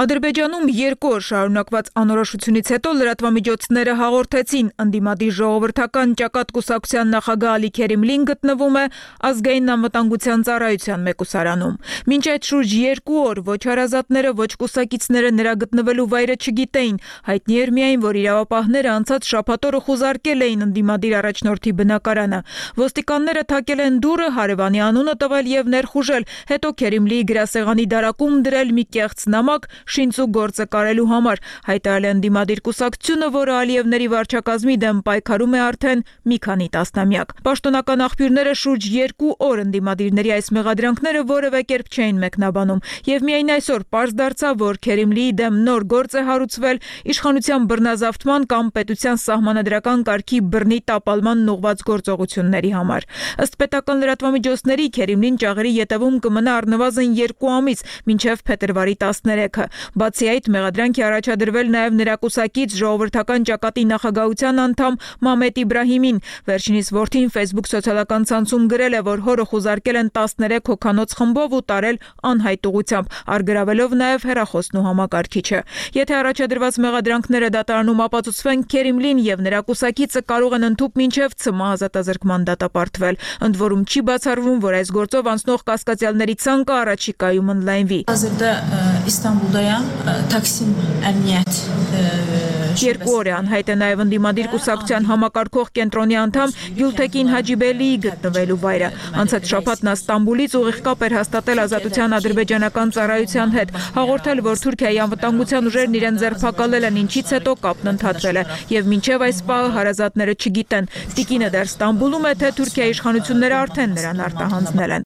Ադրբեջանում 2 օր շարունակված անորոշությունից հետո լրատվամիջոցները հաղորդեցին ընդդիմադիր ժողովրդական ճակատ կուսակցության նախագահ Ալի Քերիմլին գտնվում է ազգային անվտանգության ծառայության մեկուսարանում։ Մինչ այդ շուրջ 2 օր ոչ հարազատները, ոչ կուսակիցները նրա գտնվելու վայրը չգիտեին, հայտնի էր միայն, որ իրավապահները անցած շաբաթ օրը խուզարկել էին ընդդիմադիր առաջնորդի բնակարանը։ Ոստիկանները թակել են դուռը, հարևանի անունը տվել եւ ներխուժել, հետո Քերիմլիի գրասեղանի դարակում դրել մի կեղծ նամակ շինծու գործը կարելու համար, հայտարարել է ընդդիմադիր կուսակցությունը, որը Ալիևների վարչակազմի դեմ պայքարում է արդեն մի քանի տասնամյակ։ Պաշտոնական աղբյուրները շուրջ 2 օր ընդդիմադիրների այս մեղադրանքները որևէ կերպ չէին մեկնաբանում, եւ միայն այսօր պարզ դարձավ, որ Քերիմլիի դեմ նոր գործ է հարուցվել իշխանության բռնազավթման կամ պետության սահմանադրական կարգի բռնի տապալման ուղղված գործողությունների համար։ Ըստ պետական լրատվամիջոցների Քերիմլին ճաղերի ետևում կմնա առնվազն 2 ամիս, մինչև փետրվարի 13-ը։ Բացի այդ, մեղադրանք է առաջադրվել նաև նրա կուսակից ժողովրդական ճակատի նախագահության անդամ Մամեդ Իբրահիմին։ Վերջինիս որդին Facebook սոցիալական ցանցում գրել է, որ հորը խուզարկել են 13 հոգանոց խմբով ու տարել անհայտ ուղությամբ, արգրավելով նաև հեռախոսն ու համակարգիչը։ Եթե առաջադրված մեղադրանքները դատարանում ապացուցվեն, Քերիմլին եւ նրա կուսակիցը կարող են ընդհուպ մինչև ՑՄ ազատազրկման դատապարտվել։ Ընդ որում չի բացառվում, որ այս գործով անցնող կասկածյալների ցանկը առաջիկայում ընդլայնվի։ İstanbul'dayam Taksim Emniyet 2 օր է անհայտ է նաև ընդդիմադիր կուսակցության համակարգող կենտրոնի անդամ Գյուլթեկին Հաջիբելիի գտնվելու վայրը։ Անցած շաբաթ նա Ստամբուլից ուղիղ կապ էր հաստատել Ազատության ադրբեջանական ծառայության հետ, հաղորդել, որ Թուրքիայի անվտանգության ուժերն իրեն ձերբակալել են, ինչից հետո կապն ընդհատվել է, եւ մինչև այս պահը հարազատները չգիտեն, տիկինը դեռ Ստամբուլում է, թե Թուրքիայի իշխանությունները արդեն նրան արտահանձնել են։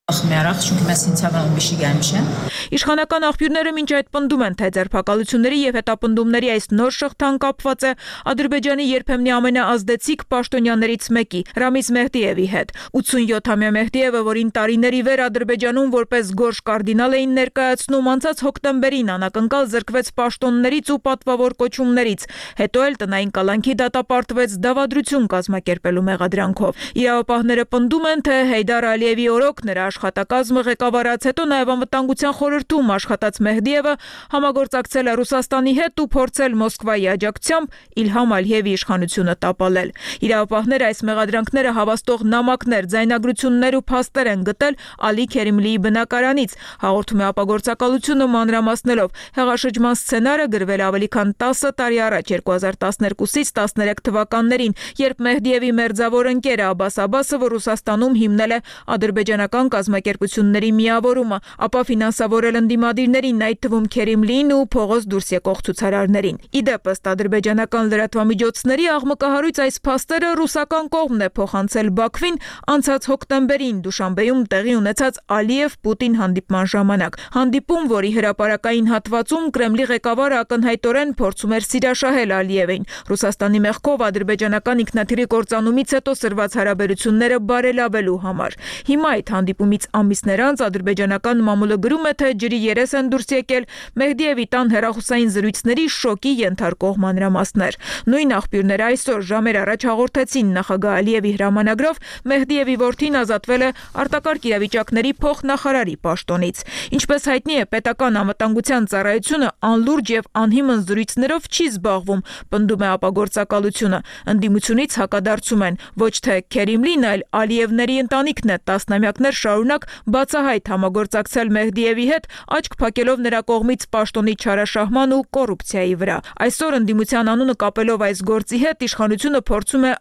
Իշխանական աղբյուրները մինչ այդ պնդում են, թե ձերբակալությունների եւ հետապնդումների այս նոր շղթան կապված է Ադրբեջանի երբեմնի ամենաազդեցիկ պաշտոնյաներից մեկի Ռամիզ Մեհդիևի հետ։ 87-ամյա Մեհդիևը, որին տարիների վեր Ադրբեջանում որպես գորշ կարդինալ էին ներկայացնում, անցած հոկտեմբերին անակնկալ զրկվեց պաշտոններից ու պատվավոր կոչումներից, հետո էլ տնային կալանքի դատապարտվեց դավադրություն կազմակերպելու մեղադրանքով։ Իրավապահները պնդում են, թե Հեյդար Ալիևի օրոք նրա աշխատակազմը ղեկավարած, հետո նաև անվտանգության խորհրդում աշխատած Մեհդիևը համագործակցել է Ռուսաստանի հետ ու փորձել Մոսկվայի աջակցությամբ Իլհամ Ալիևի իշխանությունը տապալել։ Իրավապահները այս մեղադրանքները հավաստող նամակներ, ձայնագրություններ ու փաստեր են գտել Ալի Քերիմլիի բնակարանից, հաղորդում է ապագործակալությունը մանրամասնելով։ Հեղաշրջման սցենարը գրվել ավելի քան 10 տարի առաջ 2012-ից 13 թվականներին, երբ Մեհդիևի մերձավոր ընկերը Աբբաս Աբբասը Ռուսաստանում հիմնել է ադրբեջանական կազմակերպությունների միավորումը, ապա ֆինանսավորել ընդդիմադիրներին, այդ թվում Քերիմլիին ու փողոց դուրս եկող ցուցարարներին։ Իդեպ ըստ ադրբեջանական լրատվամիջոցների աղմկահարույց այս փաստերը ռուսական կողմն է փոխանցել Բաքվին անցած հոկտեմբերին Դուշանբեում տեղի ունեցած Ալիև-Պուտին հանդիպման ժամանակ։ Հանդիպում, որի հրապարակային հատվածում Կրեմլի ղեկավարը ակնհայտորեն փորձում էր սիրաշահել Ալիևին։ Ռուսաստանի մեղքով ադրբեջանական ինքնաթիռի կործանումից հետո սրված հարաբերությունները բարելավելու համար։ Հիմա այդ հանդիպումից ամիսներ անց ադրբեջանական մամուլը գրում է, թե ջրի երես են դուրս եկել Մեհդիևի տան հեռախոսային զրույցների շոկի ենթարկող մանրամասներ։ Նույն աղբյուրները այսօր ժամեր առաջ հաղորդեցին նախագահ Ալիևի հրամանագրով Մեհդիևի որդին ազատվել է արտակարգ իրավիճակների փոխնախարարի պաշտոնից։ Ինչպես հայտնի է, պետական անվտանգության ծառայությունը անլուրջ եւ անհիմն զրույցներով չի զբաղվում, պնդում է ապագործակալությունը։ Ընդդիմությունից հակադարձում են, ոչ թե Քերիմլին, այլ Ալիևների ընտանիքն է տասնամյակներ շարունակ բացահայտ համագործակցել Մեհդիևի հետ, աչք փակելով նրա կողմից պաշտոնի չարաշահման ու կոռուպցիայի վրա։ Այսօր ընդդիմության անունը կապելով այս գործի հետ իշխանությունը փորձում է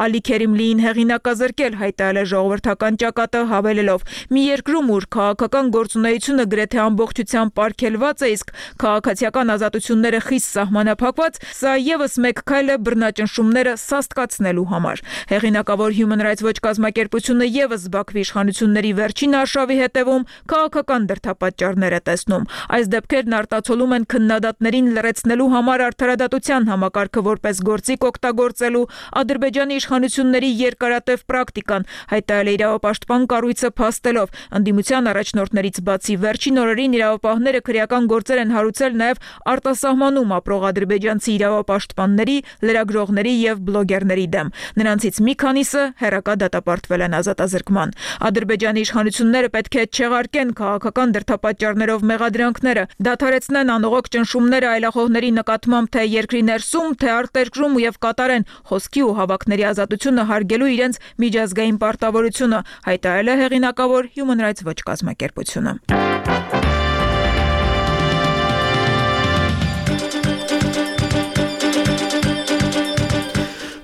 Ալի Քերիմլիին հեղինակազրկել, հայտարարել է ժողովրդական ճակատը, հավելելով. մի երկրում, ուր քաղաքական գործունեությունը գրեթե ամբողջությամբ պարգևված է, իսկ քաղաքացիական ազատությունները խիստ սահմանափակված, սա եւս մեկ քայլ է բռնաճնշումները սաստկացնելու համար։ Հեղինակավոր Human Rights Watch կազմակերպությունը եւս Բաքվի իշխանությունների վերջին արշավի հետևում քաղաքական դրդապատճառներ է տեսնում։ Այս դեպքերն արտացոլում են քննադատներին լրացնելու համար արդարադատության համակարգը որպես գործիք օգտագործելու Ադրբեջանի իշխանությունների երկարատև պրակտիկան, հայտարարել է իրավապաշտպան կառույցը փաստելով։ Ընդդիմության առաջնորդներից բացի վերջին օրերին իրավապահները քրեական գործեր են հարուցել նաև արտասահմանում ապրող ադրբեջանցի իրավապաշտպանների, լրագրողների եւ բլոգերների դեմ։ Նրանցից մի քանիսը հերակա դատապարտվել են ազատազրկման։ Ադրբեջանի իշխանությունները պետք է չեղարկեն քաղաքական դրդապատճառներով մեղադրանքները, դադարեցնեն անողոք ճնշումները այլախոհների նկատմամբ թե երկրի ներսում, թե արտերկրում եւ կատարեն խոսքի ու հավաքների ազատությունը հարգելու իրենց միջազգային պարտավորությունը, հայտարարել է հեղինակավոր Human Rights Watch կազմակերպությունը։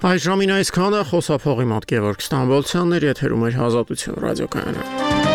Այս ժամին այսքանը, խոսափողի մոտ Գևորգ Ստամբոլցյանն էր, եթերում էր Ազատություն ռադիոկայանը։